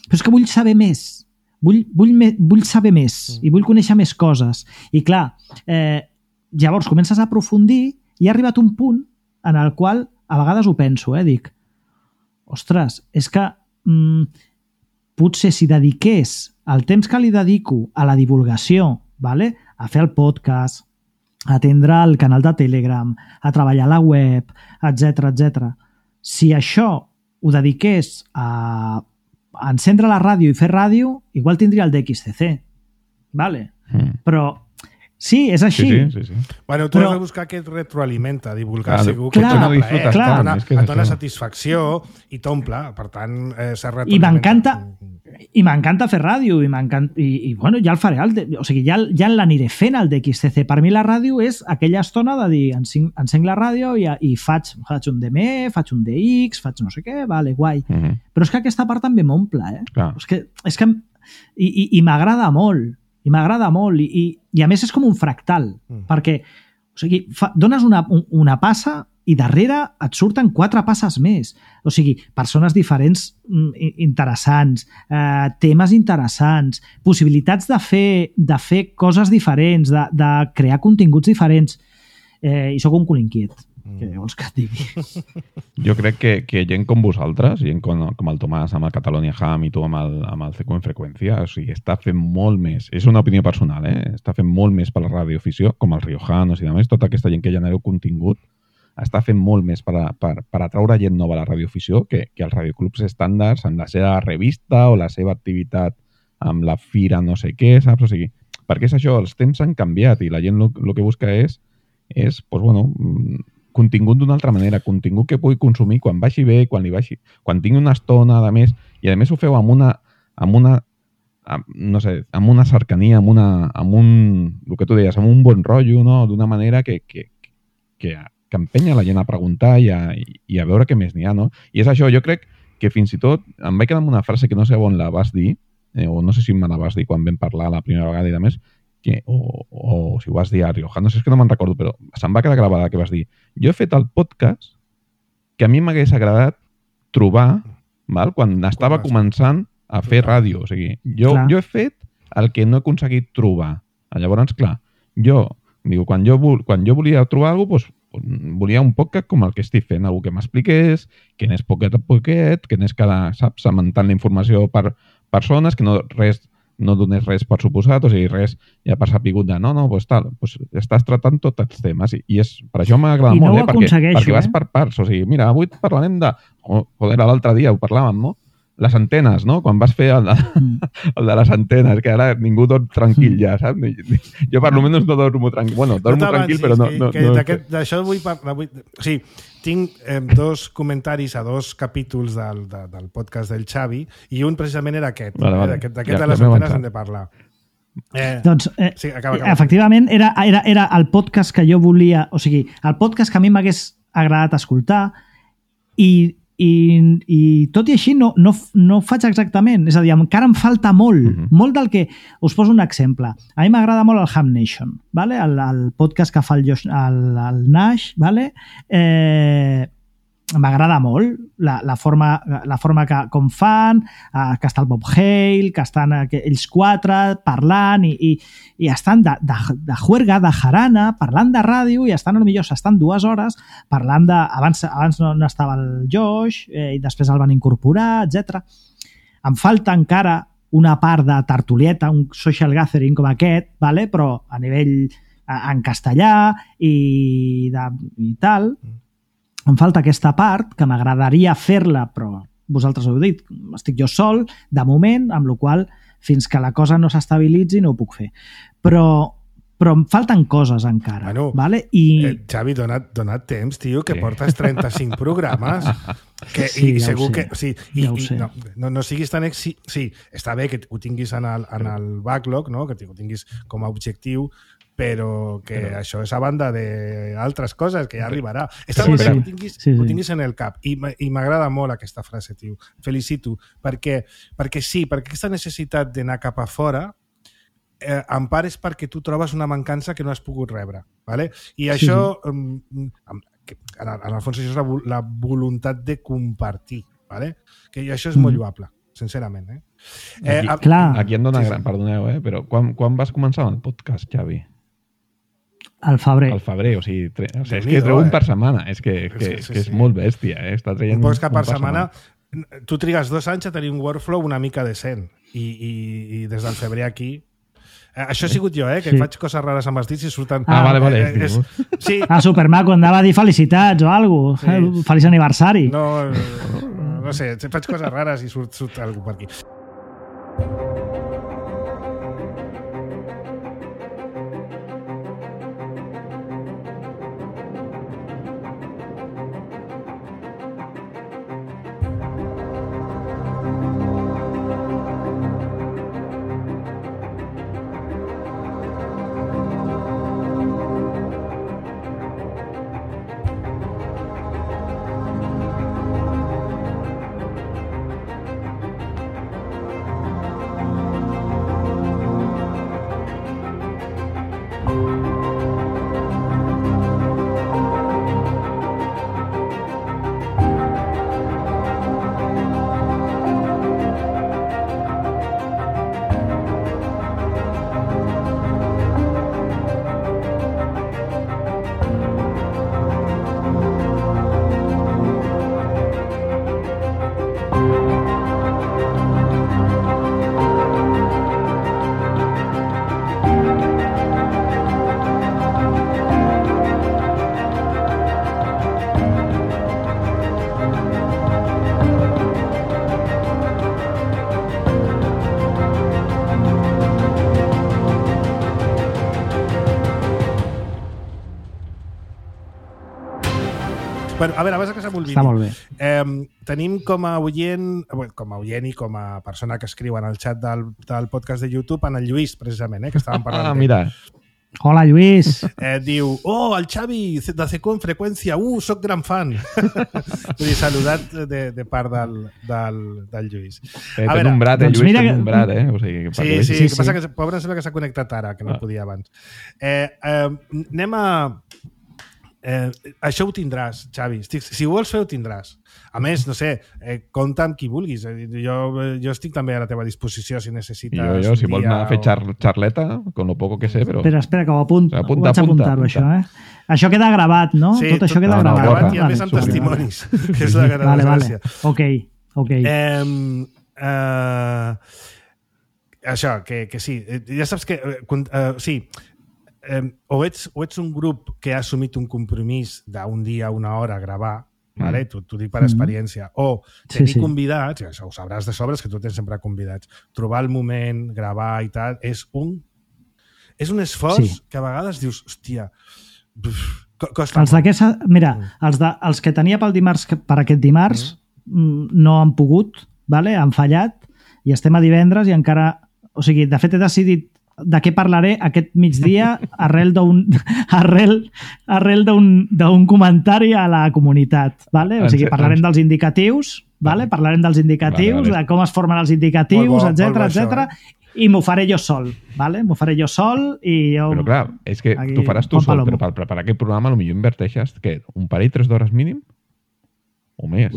Però és que vull saber més. Vull, vull, me, vull saber més i vull conèixer més coses. I clar, eh, llavors comences a aprofundir i ha arribat un punt en el qual a vegades ho penso, eh? Dic, ostres, és que mm, potser si dediqués el temps que li dedico a la divulgació, vale? A fer el podcast, a atendre el canal de Telegram, a treballar a la web, etcètera, etcètera. Si això ho dediqués a, a encendre la ràdio i fer ràdio, igual tindria el D X C C. Vale? Mm. Però sí, és així. Sí, sí, sí, sí. Bueno, tu però... has de buscar què et retroalimenta, divulgar. Clar, segur que clar, et dona clar, plaer, clar. et dona, És que és et dona això. satisfacció i t'omple. Per tant, eh, s'ha I retroalimenta. m'encanta i m'encanta fer ràdio i, i, i bueno, ja el faré el, o sigui, ja, ja l'aniré fent el D X C C. Per mi la ràdio és aquella estona de dir encenc, encenc la ràdio i, i faig, faig un D M E, faig un D X, faig no sé què, vale, guai. Mm-hmm. Però és que aquesta part també m'omple, eh? Clar. És que, és que i, i, i m'agrada molt i m'agrada molt i, i, i a més és com un fractal mm. perquè o sigui, fa, dones una, una passa i darrere et surten quatre passes més. O sigui, persones diferents interessants, eh, temes interessants, possibilitats de fer, de fer coses diferents, de, de crear continguts diferents. Eh, I sóc un cul inquiet. Mm. Què vols que et digui? Jo crec que, que gent com vosaltres, gent com, com el Tomàs amb el Catalonia Ham i tu amb el, amb el C Q en freqüència, o sigui, està fent molt més. És una opinió personal, eh? Està fent molt més per la radioafició, com els Riojanos i demés, tota aquesta gent que genereu contingut, està fent molt més per, a, per, per atraure gent nova a la radioafició que, que els radioclubs estàndards amb la seva revista o la seva activitat amb la fira no sé què, saps? O sigui, perquè és això, els temps han canviat i la gent el que busca és, és pues, bueno, contingut d'una altra manera, contingut que pugui consumir quan vagi bé, quan li vagi, quan tingui una estona, a més, i a més ho feu amb una, amb una, amb, no sé, amb una cercania, amb, una, amb un, el que tu deies, amb un bon rotllo, no? D'una manera que, que, que, que empenya la gent a preguntar i a, i a veure què més n'hi ha, no? I és això, jo crec que fins i tot em vaig quedar amb una frase que no sé on la vas dir, eh, o no sé si me la vas dir quan vam parlar la primera vegada i de més, que, o, o si ho vas dir a Rioja, no sé, és que no me'n recordo, però se'm va quedar gravada que vas dir. Jo he fet el podcast que a mi m'hagués agradat trobar, val? Quan estava començant a fer ràdio. O sigui, jo, jo he fet el que no he aconseguit trobar. Llavors, clar, jo, diu, quan jo, quan jo volia trobar alguna cosa, doncs, volia un podcast com el que estic fent, algú que m'expliqués, que anés poquet a poquet, que anés cada, saps, cementant la informació per persones, que no res no donés res per suposat, o sigui, res ja per sapigut de no, no, doncs tal, doncs estàs tratant tots els temes i, i és, per això m'agrada molt, no eh, perquè, perquè vas per parts, o sigui, mira, avui parlarem de, oh, joder, l'altre dia ho parlàvem, no? Les antenes, no? Quan vas fer el de, el de les antenes, que ara ningú dorm tranquil ja, saps? Jo per almenys no dormo tranquil. Bueno, dormo no tranquil, però no... no, no D'això vull parlar... Vull... O sigui, tinc eh, dos comentaris a dos capítols del, de, del podcast del Xavi i un precisament era aquest. Vale, vale. Eh, D'aquest ja, de les ja antenes hem de parlar. Eh, doncs, eh, sí, acaba, acaba. efectivament, era, era, era el podcast que jo volia... O sigui, el podcast que a mi m'hagués agradat escoltar i... I, i tot i així no, no, no ho faig exactament, és a dir, encara em falta molt, mm-hmm. molt del que... Us poso un exemple. A mi m'agrada molt el Ham Nation, vale? el, el podcast que fa el, Josh, el, el Nash, vale? eh, m'agrada molt la, la, forma, la forma que com fan, eh, que està el Bob Hale, que estan que ells quatre parlant i, i, i estan de, de, de juerga, de jarana, parlant de ràdio i estan, potser s'estan dues hores parlant de... Abans, abans no, no estava el Josh eh, i després el van incorporar, etcètera. Em falta encara una part de tertulieta, un social gathering com aquest, vale? Però a nivell en castellà i, de, i tal... Em falta aquesta part, que m'agradaria fer-la, però vosaltres ho heu dit, estic jo sol, de moment, amb la qual fins que la cosa no s'estabilitzi no ho puc fer. Però, però em falten coses encara. Bueno, vale? I... eh, Xavi, dona't, dona't temps, tio, que sí. Portes trenta-cinc programes. Que, sí, i ja segur ho sé. que... Sí, i, ja ho i, sé. No, no, no siguis tan... Ex... Sí, està bé que ho tinguis en el, en el backlog, no? Que ho tinguis com a objectiu, però que però... això és a banda d'altres coses, que ja arribarà. Està sí, molt bé sí. que ho tinguis, sí, sí. ho tinguis en el cap. I, i m'agrada molt aquesta frase, tio. Felicito. Perquè, perquè sí, perquè aquesta necessitat d'anar cap a fora eh, en part és perquè tu trobes una mancança que no has pogut rebre. ¿vale? I això, sí, sí. Um, en, en el fons, això és la, la voluntat de compartir. ¿vale? Que això és mm. molt lloable, sincerament. Eh? Eh, aquí, a, clar. aquí em dona sí, gran... Sí. Perdoneu, eh? Però quan, quan vas començar el podcast, Xavi? Al febrer. Al febrer, o sigui, tre... o sigui és que treu un per setmana, és que, que, sí, sí, que és sí. molt bèstia, eh? Està traient un podcast un per, per setmana, setmana. Tu trigues dos anys a tenir un workflow una mica decent i, i, i des del febrer aquí... Eh, això he sigut jo, eh? Que sí. faig coses rares amb els dits i surten... Ah, vale, vale. Eh, és... sí. Ah, supermaco, andava a dir felicitats o alguna cosa. Sí. Feliç aniversari. No, no, no sé, faig coses rares i surt, surt alguna per aquí. Bueno, a veure, abans que se m'olvidi. Està molt bé. Eh, tenim com a oient, com a oient i com a persona que escriu en el xat del, del podcast de YouTube, en el Lluís, precisament, eh, que estàvem parlant. Ah, mira. Hola, Lluís. Eh, diu, oh, el Xavi de C Q en freqüència, uh, soc gran fan. Vull dir, saludat de, de part del, del, del Lluís. Eh, té un brat, eh, doncs Lluís, mira té que- un brat, eh? O sigui, que Sí, perquè- sí, Sí, que passa sí. que pobre sembla que s'ha connectat ara, que no Ah. podia abans. Eh, eh, anem a... Eh, això ho tindràs, Xavi. Estic, si ho vols fer, ho tindràs. A més, no sé, eh, compta amb qui vulguis. Eh, Jo, jo estic també a la teva disposició si necessites... Jo, jo, si un vols dia anar a fer o- xar charleta, con lo poco que sé, però... Espera, espera, que ho apunto. Apunta, ho vaig apunta, apuntar-ho, apunta. això, eh? Això queda gravat, no? Sí, tot això queda no, no, gravat. borra. I a més amb Vale, testimonis, que és la gran Vale, vale. gràcia. Ok, ok. Eh, eh, això, que, que sí. Eh, Ja saps que... Eh, con- eh, sí, eh, o, ets, o ets un grup que ha assumit un compromís d'un dia, una hora a gravar, vale? T'ho t'ho dic per Mm. experiència, o Sí, tenir sí. convidats, i això ho sabràs de sobres, que tu tens sempre convidats, trobar el moment, gravar i tal, és un és un esforç Sí. que a vegades dius, hòstia, buf, co- costa Els molt. d'aquesta... Mira, els, de, els que tenia pel dimarts, que- per aquest dimarts, mm. no han pogut, vale? Han fallat, i estem a divendres i encara... O sigui, de fet, he decidit de què parlaré aquest migdia arrel d'un arrel, arrel d'un d'un comentari a la comunitat, vale? O sigui, parlarem dels indicatius, vale? Parlarem dels indicatius, Vale, vale. de com es formen els indicatius, Molt bo, molt etc bo etc. això, I m'ho faré jo sol, vale? M'ho faré jo sol i jo... Però clar, és que Aquí, tu faràs tu Juan sol, Palomo. però per preparar aquest programa potser inverteixes que un parell, tres d'hores mínim? O més?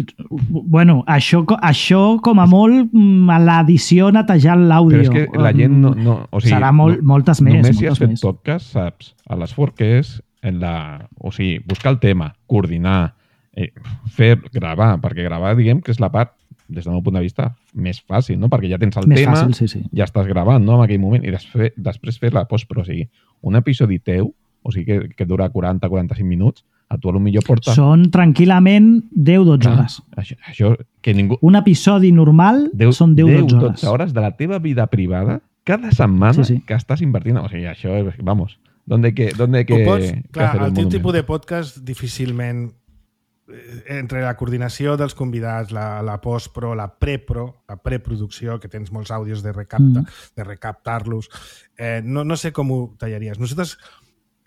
Bueno, això, co- això com a molt mm, a l'edició netejant l'àudio. Però és que la gent no... no o sigui, Serà molt, no, moltes més. Només si has moltes fet més. podcast, saps, a l'esforç que és en la... O sigui, buscar el tema, coordinar, eh, fer, gravar, perquè gravar, diguem, que és la part, des del meu punt de vista, més fàcil, no? Perquè ja tens el Més tema, fàcil, sí, sí. ja estàs gravant, no?, en aquell moment, i després, després fer la postpro. O sigui, un episodi teu, o sigui, que, que dura quaranta a quaranta-cinc minuts, a tu potser porta... Són tranquil·lament deu a dotze Ah, hores. Això, això, que ningú... Un episodi normal deu, són deu a deu, dotze hores. dotze hores de la teva vida privada cada setmana Sí, sí. que estàs invertint. O sigui, això, és- vamos, ¿dónde que, dónde que, Ho pots, que clar, hacer el teu monumento? tipus de podcast difícilment eh, entre la coordinació dels convidats, la, la postpro, la prepro, la preproducció, que tens molts àudios de, recapta, Mm. de recaptar-los, eh, no, no sé com ho tallaries. Nosaltres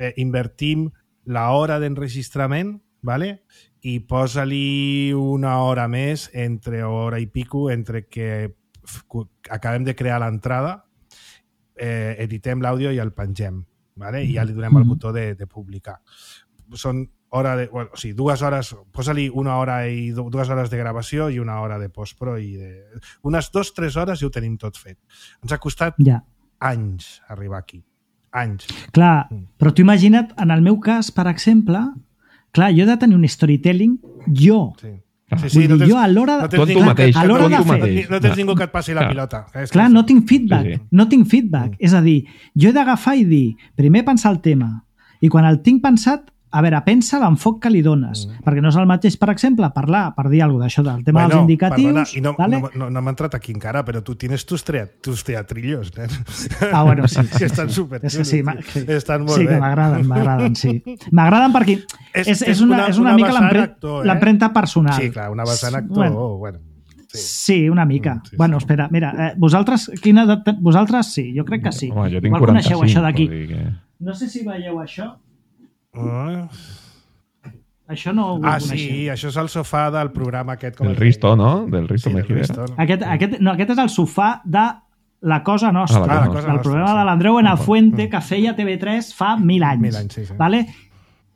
eh, invertim la hora d'enregistrament, ¿vale? I posa-li una hora més, entre hora i pico, entre que f- cu- acabem de crear l'entrada, eh, editem l'àudio i el pengem, ¿vale? I ja li donem el Mhm. botó de, de publicar. Són hora de, bueno, o sigui, dues hores, posa-li una hora i du- dues hores de gravació i una hora de postpro i de... Unes dues, tres hores i ho tenim tot fet. Ens ha costat Ja. anys arribar aquí. Anys. Clar, Mm. però tu imagina't, en el meu cas, per exemple, clar, jo he de tenir un storytelling, jo. Sí. Ah. Vull dir, jo a l'hora no de... tens Tu ningú mateix, que- a l'hora no de tens- fer- No tens ningú que et passi la Clar. pilota. És Clar, que- no tinc feedback, Sí, sí. no tinc feedback. Mm. És a dir, jo he d'agafar i dir, primer pensar el tema, i quan el tinc pensat, a veure, pensa l'enfoc que li dones, Mm. perquè no és el mateix, per exemple, parlar, per dir alguna cosa d'això, del tema Bueno, dels indicatius, perdona, i no, vale? no, no, no m'ha entrat aquí encara, però tu tienes tus, trea, tus teatrillos, nen. Ah, bueno, sí. sí que estan sí. super És que sí, ma- sí. Estan molt sí, bé. que m'agraden, m'agraden, sí. M'agraden perquè és, és, és, una, és una, una mica vessant l'empre- actor, eh? l'empremta personal. Sí, clar, una vessant actor. Bueno, Bueno, bueno, sí. sí, una mica. Mm, sí, bueno, sí. espera, mira, eh, vosaltres, quina edat ten- vosaltres sí, jo crec que sí. Home, jo tinc Igual coneixeu quaranta-cinc. això d'aquí. vull dir que... No sé si veieu això. Ah, Això no ho ah, coneixeu. sí, això és el sofà del programa aquest. Com Del es Risto, deia? no? Del Risto Sí, del Mejide. Risto. Aquest, aquest, no, aquest és el sofà de La Cosa Nostra, Ah, La Cosa del Nostra, programa sí. de l'Andreu en el Ah, Fuente que feia T V tres fa mil anys. Mil anys, sí, sí. Vale?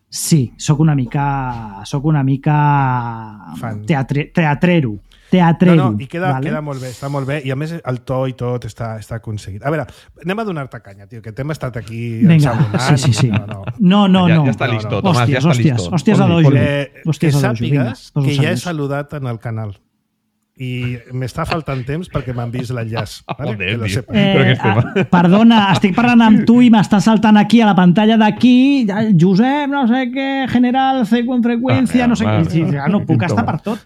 Sí, sóc una mica sóc una mica Fan. teatre, teatrero. Teatrero. No, no, i queda, vale? queda molt bé, està molt bé, i a més el to i tot està, està aconseguit. A veure, anem a donar-te canya, tio, que t'hem estat aquí Vinga, ensabonant. sí, sí, sí. No, no. No, no, Ja- no. ja està No, listo, no. Tomàs, ja Hòsties, està hòsties, listo. hòsties a Fot-li, dojo. fot-li. Eh, que Hòsties a dojo, vinga, sàpigues poso que ja he seriós. saludat en el canal i m'està faltant temps perquè m'han vist l'enllaç. Vale? Joder, que lo tio. sepas. Però què Eh, estem? ah, perdona, estic parlant amb tu i m'està saltant aquí a la pantalla d'aquí Josep, no sé què, general, C con freqüència, Ah, no sé vale. què. Sí, ja no puc estar per tot.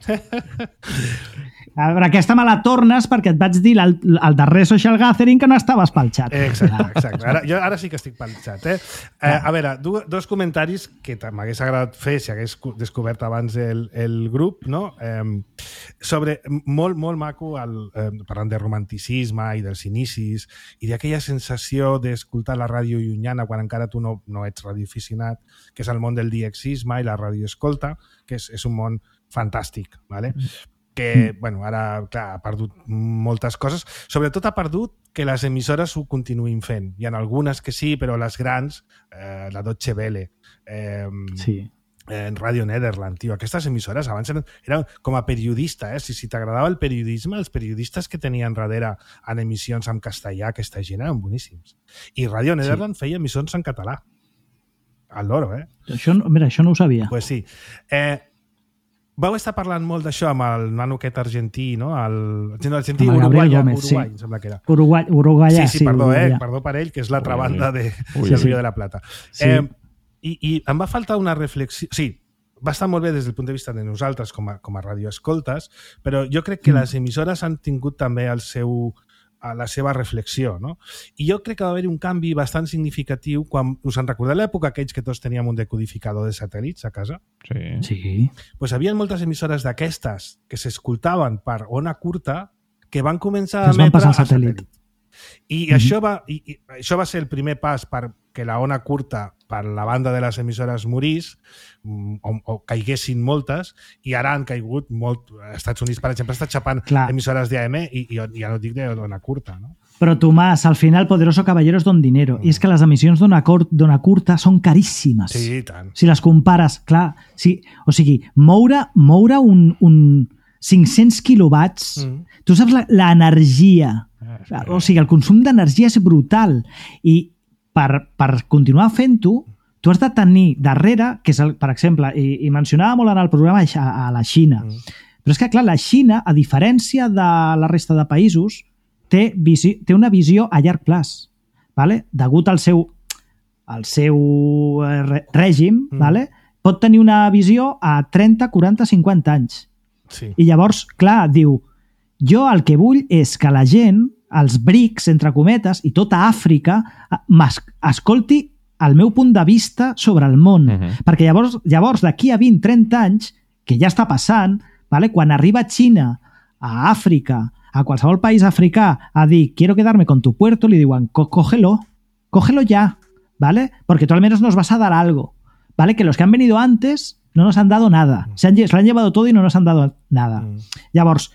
A veure, aquesta me la tornes perquè et vaig dir al, al darrer social gathering que no estaves pel xat. Exacte, exacte. Ara, jo ara sí que estic pel xat. Eh? Eh, a veure, du, dos comentaris que m'hagués agradat fer si hagués descobert abans el, el grup, no? Eh, sobre, molt, molt maco, el, eh, parlant de romanticisme i dels inicis i d'aquella sensació d'escoltar la ràdio llunyana quan encara tu no, no ets radioaficionat, que és el món del diexisme i la radioescolta, que és, és un món fantàstic, ¿vale? que, bueno, ara, clar, ha perdut moltes coses. Sobretot ha perdut que les emissores ho continuïn fent. Hi ha algunes que sí, però les grans, eh, la Deutsche Welle, eh, sí. en Radio Nederland, tio, aquestes emissores abans eren, eren com a periodista, eh? Si, si t'agradava el periodisme, els periodistes que tenien darrere en emissions en castellà, aquesta gent eren boníssims. I Radio Nederland sí. feia emissions en català. Al loro, eh? Això, mira, això no ho sabia. Pues sí. Eh, Vau estar parlant molt d'això amb el nano aquest argentí, no? El, el argentí, Uruguai, Uruguai, sí. em sembla que era. Uruguai, Uruguai, sí, sí, sí, perdó, Uruguai. eh? Perdó per ell, que és l'altra Ui, banda de, ui, del sí. Río de la Plata. Sí. Eh, i, I em va faltar una reflexió... Sí, va estar molt bé des del punt de vista de nosaltres com a, com a radioescoltes, però jo crec que mm. les emissores han tingut també el seu... a la seva reflexió, no? I jo crec que va haver-hi un canvi bastant significatiu quan, us en recordeu l'època aquells que tots teníem un decodificador de satèl·lits a casa? Sí. Sí. Pues havia moltes emissores d'aquestes que s'escoltaven per ona curta que van començar que a emetre a satèl·lit. satèl·lit. I, mm-hmm. això va, i, i això va ser el primer pas perquè la ona curta per la banda de les emissores morís o, o caiguessin moltes i ara han caigut molt. Als Estats Units, per exemple, està xapant Clar. emissores d'A M i, i ja no dic d'ona curta, no? Però, Tomàs, al final, Poderoso Caballero és don dinero. Mm. I és que les emissions d'ona curta són caríssimes. Sí, tant. Si les compares, clar, sí, o sigui, moure, moure un, un cinc-cents quilowatts, mm. tu saps l'energia, ah, o sigui, el consum d'energia és brutal. I per, per continuar fent-ho, tu has de tenir darrere, que és, el, per exemple, i, i mencionava molt en el programa a, a la Xina, mm. però és que, clar, la Xina, a diferència de la resta de països, té, visi, té una visió a llarg plaç, ¿vale? Degut al seu, al seu règim, mm. ¿vale? Pot tenir una visió a trenta, quaranta, cinquanta anys. Sí. I llavors, clar, diu, jo el que vull és que la gent, els brics, entre cometes, i tota Àfrica, escolti el meu punt de vista sobre el món. Uh-huh. Perquè llavors, llavors d'aquí a vint, trenta anys, que ja està passant, ¿vale? Quan arriba a Xina, a Àfrica, a qualsevol país africà, a dir, quiero quedarme con tu puerto, li diuen, cógelo, cógelo ya, ¿vale? Porque tú al menos nos vas a dar algo, ¿vale? Que los que han venido antes no nos han dado nada. Se, han, se lo han llevado todo y no nos han dado nada. Mm. Llavors,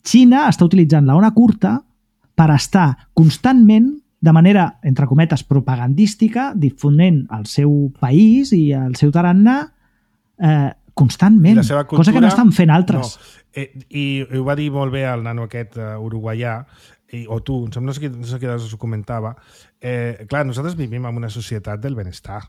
Xina està utilitzant la ona curta per estar constantment, de manera, entre cometes, propagandística, difonent el seu país i el seu tarannà eh, constantment, cultura, cosa que no estan fent altres. No. Eh, I ho va dir molt bé el nano aquest uh, uruguaià, i, o tu, no sé qui, no sé qui ho comentava, eh, clar, nosaltres vivim en una societat del benestar.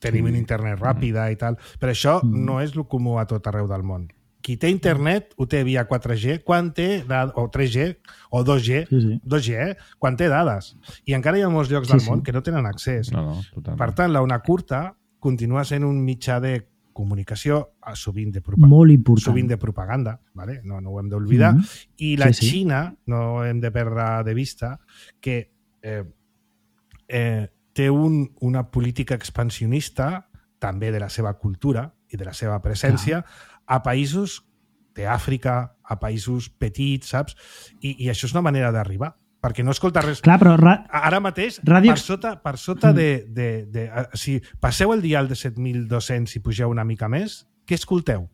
Tenim sí. un internet ràpida mm. i tal, però això mm. no és el comú a tot arreu del món. Qui té internet ho té via quatre G, quan té dades, o tres G, o dos G, sí, sí. dos G, eh? quan té dades. I encara hi ha molts llocs sí, del món sí. que no tenen accés. No, no, totalment. Per tant, la ona curta continua sent un mitjà de comunicació sovint de, propa molt important. Sovint de propaganda, ¿vale? no, no ho hem d'oblidar. Mm -hmm. I la sí, sí. Xina, no hem de perdre de vista, que eh, eh, té un, una política expansionista també de la seva cultura i de la seva presència Clar. a països d'Àfrica, a països petits, saps? I, i això és una manera d'arribar, perquè no escolta res. Clar, però ra... Ara mateix, Ràdio... per sota, per sota mm. de... de, de, de si passeu el dial de set mil dos-cents i pugeu una mica més, què escolteu?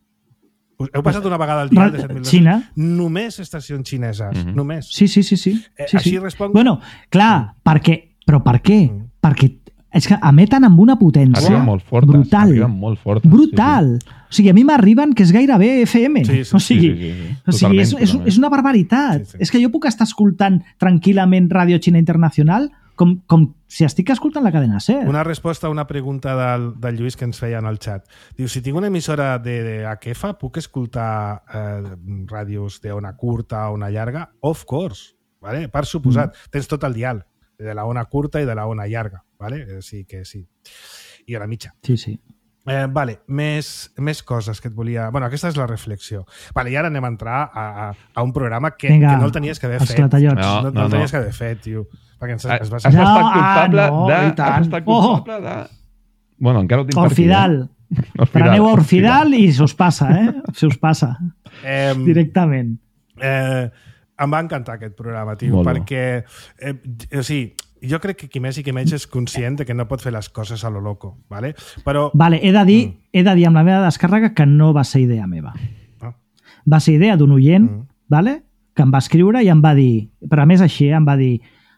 Heu passat una vegada el dial de set mil dos-cents? Xina. Només estacions xineses, mm -hmm. només. Sí, sí, sí. sí. Eh, sí així sí. responc... Bueno, clar, mm. perquè... Però per què? Mm. Perquè és que emeten amb una potència arriben molt fortes, brutal. Arriben molt fortes, brutal. Sí, sí. O sigui, a mi m'arriben que és gairebé F M. Sí, sí, o sigui, sí, sí, sí. O sigui és, és, és una barbaritat. Sí, sí. És que jo puc estar escoltant tranquil·lament Ràdio Xina Internacional com, com si estic escoltant la cadena SER. Una resposta a una pregunta del, del Lluís que ens feia en el xat. Diu, si tinc una emissora de, de H F, puc escoltar eh, ràdios d'ona curta o ona llarga? Of course. Vale? Per suposat. Mm. Tens tot el dial de la ona curta i de la ona llarga. Vale? Sí que sí. I a la mitja. Sí, sí. Eh, vale, més, més coses que et volia... Bueno, aquesta és la reflexió. Vale, i ara anem a entrar a, a, a un programa que, Vinga, que no el tenies que haver fet. esclatallots. No, no, no, no, el tenies no. que haver fet, tio. Perquè ens, Has, es va has ser... No, estat culpable ah, no, de... i tant. Has estat culpable de... Bueno, encara ho tinc Orfidal. per aquí. Eh? Preneu a Orfidal i se us passa, eh? Se us passa. Eh, Directament. Eh, em va encantar aquest programa, tio, Molt bo. perquè eh, o sigui, jo crec que qui més i qui menys és conscient de que no pot fer les coses a lo loco, ¿vale? Però... Vale, he de dir, mm. he de dir amb la meva descàrrega que no va ser idea meva. Ah. Va ser idea d'un oient, Mm. vale? Que em va escriure i em va dir, però a més així, em va dir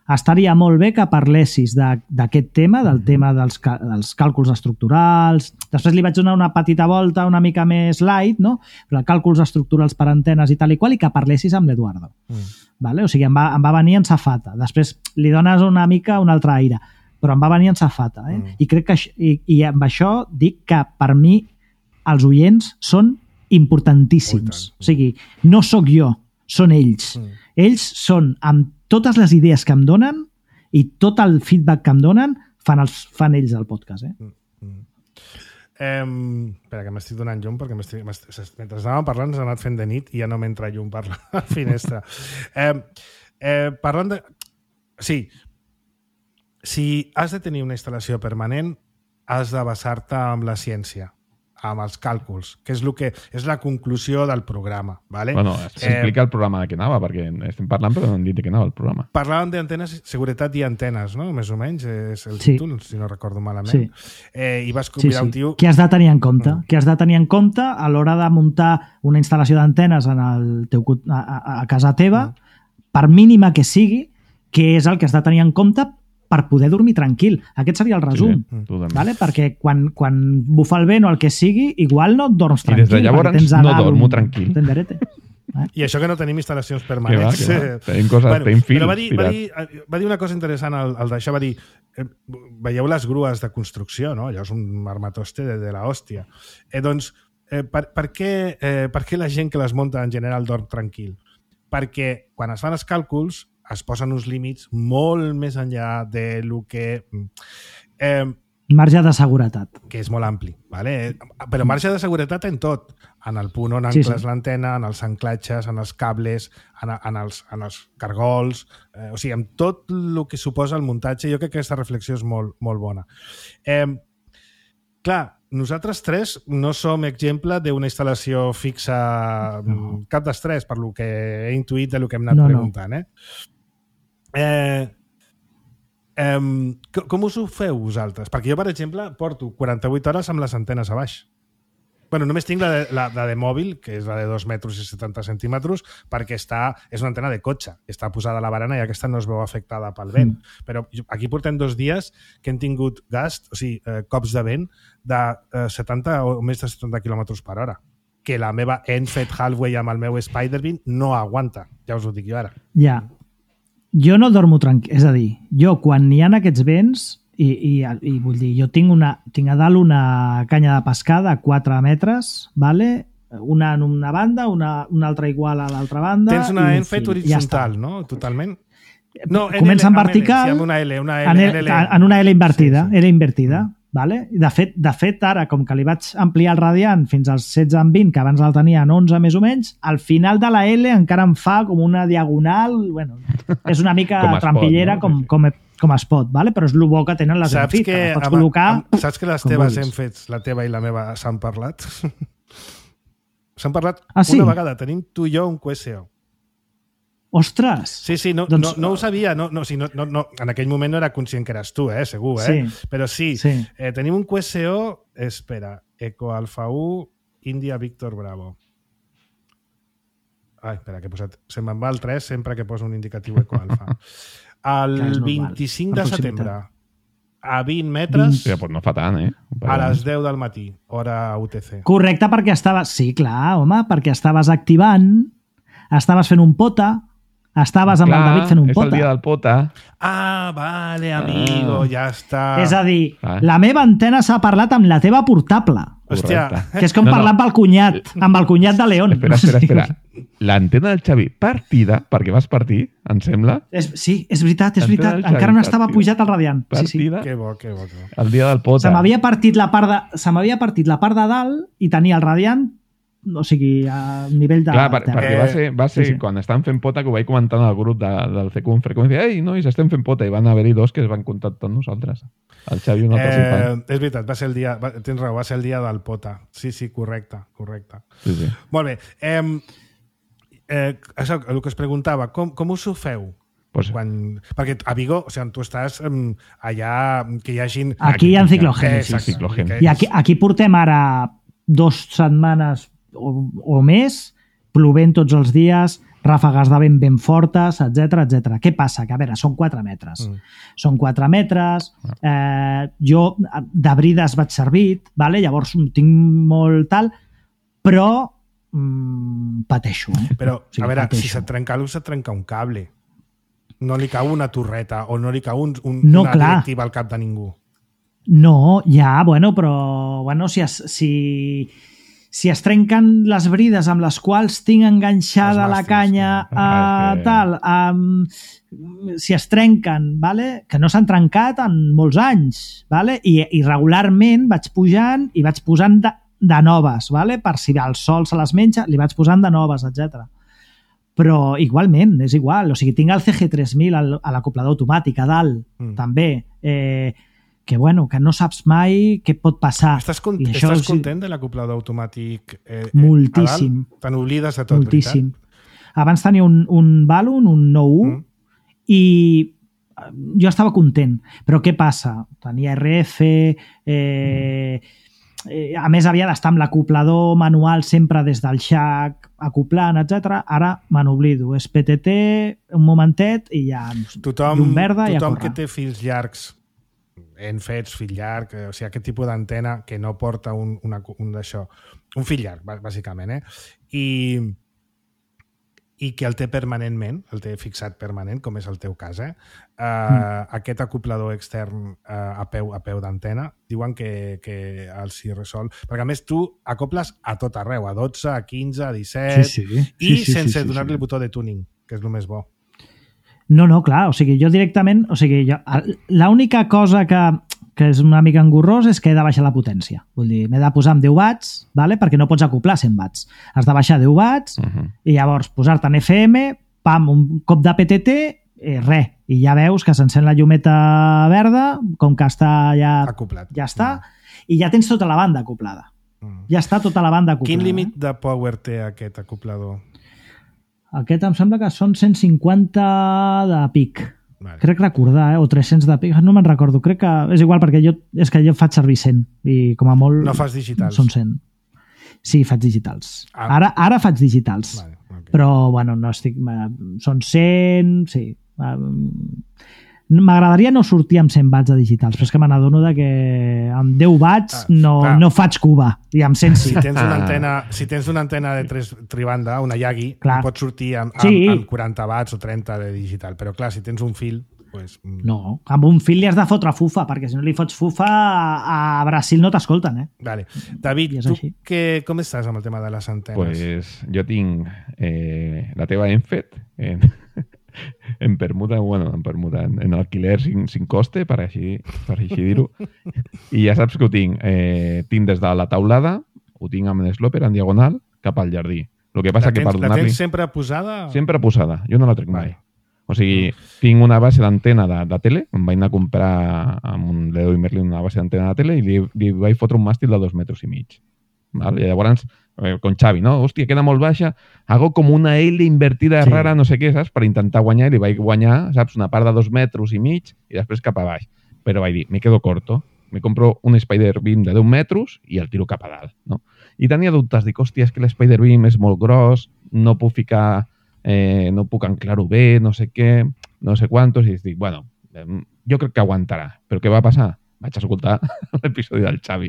estaria molt bé que parlessis d'aquest tema, del tema dels, dels càlculs estructurals. Després li vaig donar una petita volta una mica més light, no? Però càlculs estructurals per antenes i tal i qual, i que parlessis amb l'Eduardo. Mm. Vale? O sigui, em va, em va venir en safata. Després li dones una mica un altre aire, però em va venir en safata. Eh? Mm. I crec que i, i amb això dic que per mi els oients són importantíssims. Oh, o sigui, no sóc jo, són ells. Mm. Ells són, amb totes les idees que em donen i tot el feedback que em donen, fan, els, fan ells el podcast. Eh? Mm. Mm. Eh, espera, que m'estic donant llum perquè mentre anàvem parlant s'ha anat fent de nit i ja no m'entra llum per la finestra. Eh, eh, parlant de... Sí, si has de tenir una instal·lació permanent, has de basar-te amb la ciència, amb els càlculs, que és, lo que, és la conclusió del programa. Vale? Bueno, s'explica eh, el programa de què anava, perquè estem parlant però no hem dit de què anava el programa. Parlàvem d'antenes, seguretat i antenes, no? Més o menys, és el sí. títol, si no recordo malament. Sí. Eh, I vas convidar sí, sí. un tio... Què has de tenir en compte? Mm. Què has de tenir en compte a l'hora de muntar una instal·lació d'antenes en el teu, a, a, a casa teva, mm. per mínima que sigui, què és el que has de tenir en compte per poder dormir tranquil. Aquest seria el resum. Sí, sí, vale? Perquè quan, quan bufa el vent o el que sigui, igual no et dorms tranquil. I des de llavors no dormo tranquil. Eh? I això que no tenim instal·lacions permanents. Que va, que va. Tenim coses, bueno, tenim fils va dir, va, dir, va dir una cosa interessant el, el d'això, va dir eh, veieu les grues de construcció, no? Allò és un armatoste de, de la hòstia. Eh, doncs, eh, per, per, què, eh, per què la gent que les munta en general dorm tranquil? Perquè quan es fan els càlculs es posen uns límits molt més enllà de lo que... Eh, marge de seguretat. Que és molt ampli, ¿vale? Però marge de seguretat en tot. En el punt on ancles sí, sí. l'antena, en els anclatges, en els cables, en, en, els, en els cargols... Eh, o sigui, amb tot el que suposa el muntatge, jo crec que aquesta reflexió és molt, molt bona. Eh, clar, nosaltres tres no som exemple d'una instal·lació fixa no. cap dels tres, per lo que he intuït de lo que hem anat no, preguntant, no. eh? Eh, eh, com us ho feu vosaltres? Perquè jo, per exemple, porto quaranta-vuit hores amb les antenes a baix. Bueno, només tinc la de, la, la de mòbil, que és la de dos metres i setanta centímetres, perquè està, és una antena de cotxe. Està posada a la barana i aquesta no es veu afectada pel vent. Mm. Però aquí portem dos dies que hem tingut gast, o sigui, eh, cops de vent de eh, setanta o més de setanta quilòmetres per hora. Que la meva Enfed Halfway amb el meu Spider-Beam no aguanta. Ja us ho dic jo ara. Ja. Yeah. Jo no dormo tranquil, és a dir, jo quan hi ha aquests vents i, i, i vull dir, jo tinc, una, tinc a dalt una canya de pescar de quatre metres, vale? Una en una banda, una, una altra igual a l'altra banda. Tens una Enfed horitzontal, ja no? Totalment. No, comença en vertical, L, sí, amb una L, una L, en, L, L, en una L invertida, sí, sí. L invertida. Vale? De, fet, de fet, ara, com que li vaig ampliar el radiant fins als setze en vint, que abans el tenia en onze més o menys, al final de la L encara em fa com una diagonal, bueno, és una mica trampillera pot, no? com, com, com es pot, vale? Però és el bo que tenen les saps Enfit, que, que pots amb, col·locar... Amb, saps que les teves Enfits, la teva i la meva, s'han parlat? S'han parlat ah, sí? una vegada. Tenim tu i jo un Q S O. Ostres! Sí, sí, no, doncs... no, no ho sabia. No, no, sí, no, no, no, en aquell moment no era conscient que eres tu, eh, segur, eh? Sí. Però sí, sí. Eh, tenim un Q S O, espera, Eco Alfa u, India Víctor Bravo. Ai, espera, que he posat... Se me'n va el tres sempre que poso un indicatiu Eco Alfa. El vint-i-cinc de setembre, a vint metres... Sí, pues no fa tant, eh? A les deu del matí, hora U T C. Correcte, perquè estaves... Sí, clar, home, perquè estaves activant, estaves fent un pota, estaves amb Clar, el David fent un és pota. el dia del pota. Ah, vale, amigo, Ah. ja està. És a dir, Ah. la meva antena s'ha parlat amb la teva portable. Hòstia. Correcte. Que és com No, no. parlar amb el cunyat, amb el cunyat de León. Espera, espera, espera. L'antena del Xavi partida, perquè vas partir, em sembla, És, sí, és veritat, és Antena veritat. del Xavi, Encara no estava partida. pujat al radiant. Sí, sí. partida, Que bo, que bo, que bo. el dia del pota. Se m'havia partit la part de, se m'havia partit la part de dalt i tenia el radiant, o sigui, a nivell de Clar, per, terra. perquè va ser, va ser Sí, sí. quan estàvem fent pota, que ho vaig comentar en el grup de, del C Q en freqüència, ei, nois, estem fent pota, i van haver-hi dos que es van contactar amb nosaltres. El Xavi i un altre Eh, company. és veritat, va ser el dia, va, tens raó, va ser el dia del pota. Sí, sí, correcte, correcte. Sí, sí. Molt bé. Eh, eh, això, el que us preguntava, com, com us ho feu? Pues, Quan, perquè a Vigo, o sigui, tu estàs um, allà, que hi hagin... Aquí hi ha ciclogènesis. Exacte, Ciclogènesis. que- I aquí, aquí portem ara dos setmanes o, o més, plovent tots els dies, ràfegues de vent ben fortes, etc etc. Què passa? Que, a veure, són quatre metres. Mm. Són quatre metres, eh, jo de brides vaig servit, vale? Llavors tinc molt tal, però mm, pateixo. Eh? Però, Sí, a veure, pateixo. si se't trenca l'ús, se't trenca un cable. No li cau una torreta o no li cau un, un, No, una clar. directiva al cap de ningú. No, ja, bueno, però bueno, si es, si, si es trenquen les brides amb les quals tinc enganxada Els la màstils, canya sí. a Ah, és que- tal, um, si es trenquen, vale? Que no s'han trencat en molts anys, vale? I, i regularment vaig pujant i vaig posant de, de noves, vale? Per si el sol se les menja, li vaig posant de noves, etcètera. Però igualment, és igual. O sigui, tinc el C G tres mil al- a l'acoplador automàtic a dalt, Mm. també, eh, que bueno, que no saps mai què pot passar. Estàs, con I això estàs sí, content de l'acoplador automàtic? Eh, eh, Moltíssim. a dalt? Te n'oblides de tot, Moltíssim. Abans tenia un, un Balun, un nou u, Mm. i eh, jo estava content. Però què passa? Tenia R F, eh, eh, a més havia d'estar amb l'acoplador manual sempre des del xac, acoplant, etcètera. Ara me n'oblido. És P T T, un momentet, i ja Tothom, llum verda i a tothom córrer. que té fills llargs, en fets, fill llarg, eh, o sigui, aquest tipus d'antena que no porta un, una, un d'això, un fill llarg, bà- bàsicament, eh? I, i que el té permanentment, el té fixat permanent, com és el teu cas, eh? Uh, mm. Aquest acoplador extern uh, a peu a peu d'antena, diuen que, que el si resol... Perquè, a més, tu acoples a tot arreu, a dotze, a quinze, a disset, Sí, sí. i Sí, sí, sense sí, sí, donar-li sí. el botó de tuning, que és el més bo. No, no, clar, o sigui, jo directament, o sigui, jo, l'única cosa que, que és una mica engorrós és que he de baixar la potència. Vull dir, m'he de posar amb deu watts, vale? Perquè no pots acoplar cent watts. Has de baixar deu watts Uh -huh. i llavors posar-te en F M, pam, un cop de P T T, eh, res. I ja veus que s'encén la llumeta verda, com que està ja, Acoplat. ja està, i ja tens tota la banda acoplada. Mm. Ja està tota la banda acoplada. Quin límit de power té aquest acoplador? Aquest em sembla que són cent cinquanta de pic. Vale. Crec recordar, eh? O tres-cents de pic, no me'n recordo. Crec que és igual, perquè jo, és que jo faig servir cent i com a molt... No fas digitals? Són cent. Sí, faig digitals. Ah. Ara, ara faig digitals. Vale, okay. Però, bueno, no estic... eh, Són cent, sí. Eh, M'agradaria no sortir amb cent watts de digitals, però és que me n'adono de que amb deu watts Ah, no, clar. no faig cuba, i amb cent sí. Si tens una antena, si tens una antena de tres tribanda, una Yagi, Clar. pots sortir amb, amb, Sí. amb quaranta watts o trenta de digital, però clar, si tens un fil, pues, mm, No, amb un fil li has de fotre fufa, perquè si no li fots fufa a, a Brasil no t'escolten, eh? vale. David, I és tu així. que, com estàs amb el tema de les antenes? Pues jo tinc eh, la teva Enfet en, en permuta, bueno, en permuta, en, en alquiler sin, sin coste, per així, per així dir-ho. I ja saps que ho tinc. Eh, tinc des de la taulada, ho tinc amb l'sloper en diagonal, cap al jardí. El que passa la que tens, per la donar-li... tens sempre posada? Sempre posada, jo no la trec mai. Vale. O sigui, tinc una base d'antena de, de tele, em vaig anar a comprar amb un Leroy Merlin una base d'antena de tele i li, li vaig fotre un màstil de dos metres i mig. Val? I llavors, eh, con Xavi, no? Hòstia, queda molt baixa, hago com una L invertida Sí. rara, no sé què, saps? Per intentar guanyar, i li vaig guanyar, saps? Una part de dos metres i mig i després cap a baix. Però vaig dir, me quedo corto, me compro un Spider Beam de deu metres i el tiro cap a dalt, no? I tenia dubtes, dic, hòstia, és que l'Spider Beam és molt gros, no puc ficar... Eh, no puc anclar-ho bé, no sé què, no sé quantos, i dic, bueno, eh, jo crec que aguantarà. Però què va passar? vaig escoltar l'episodi del Xavi.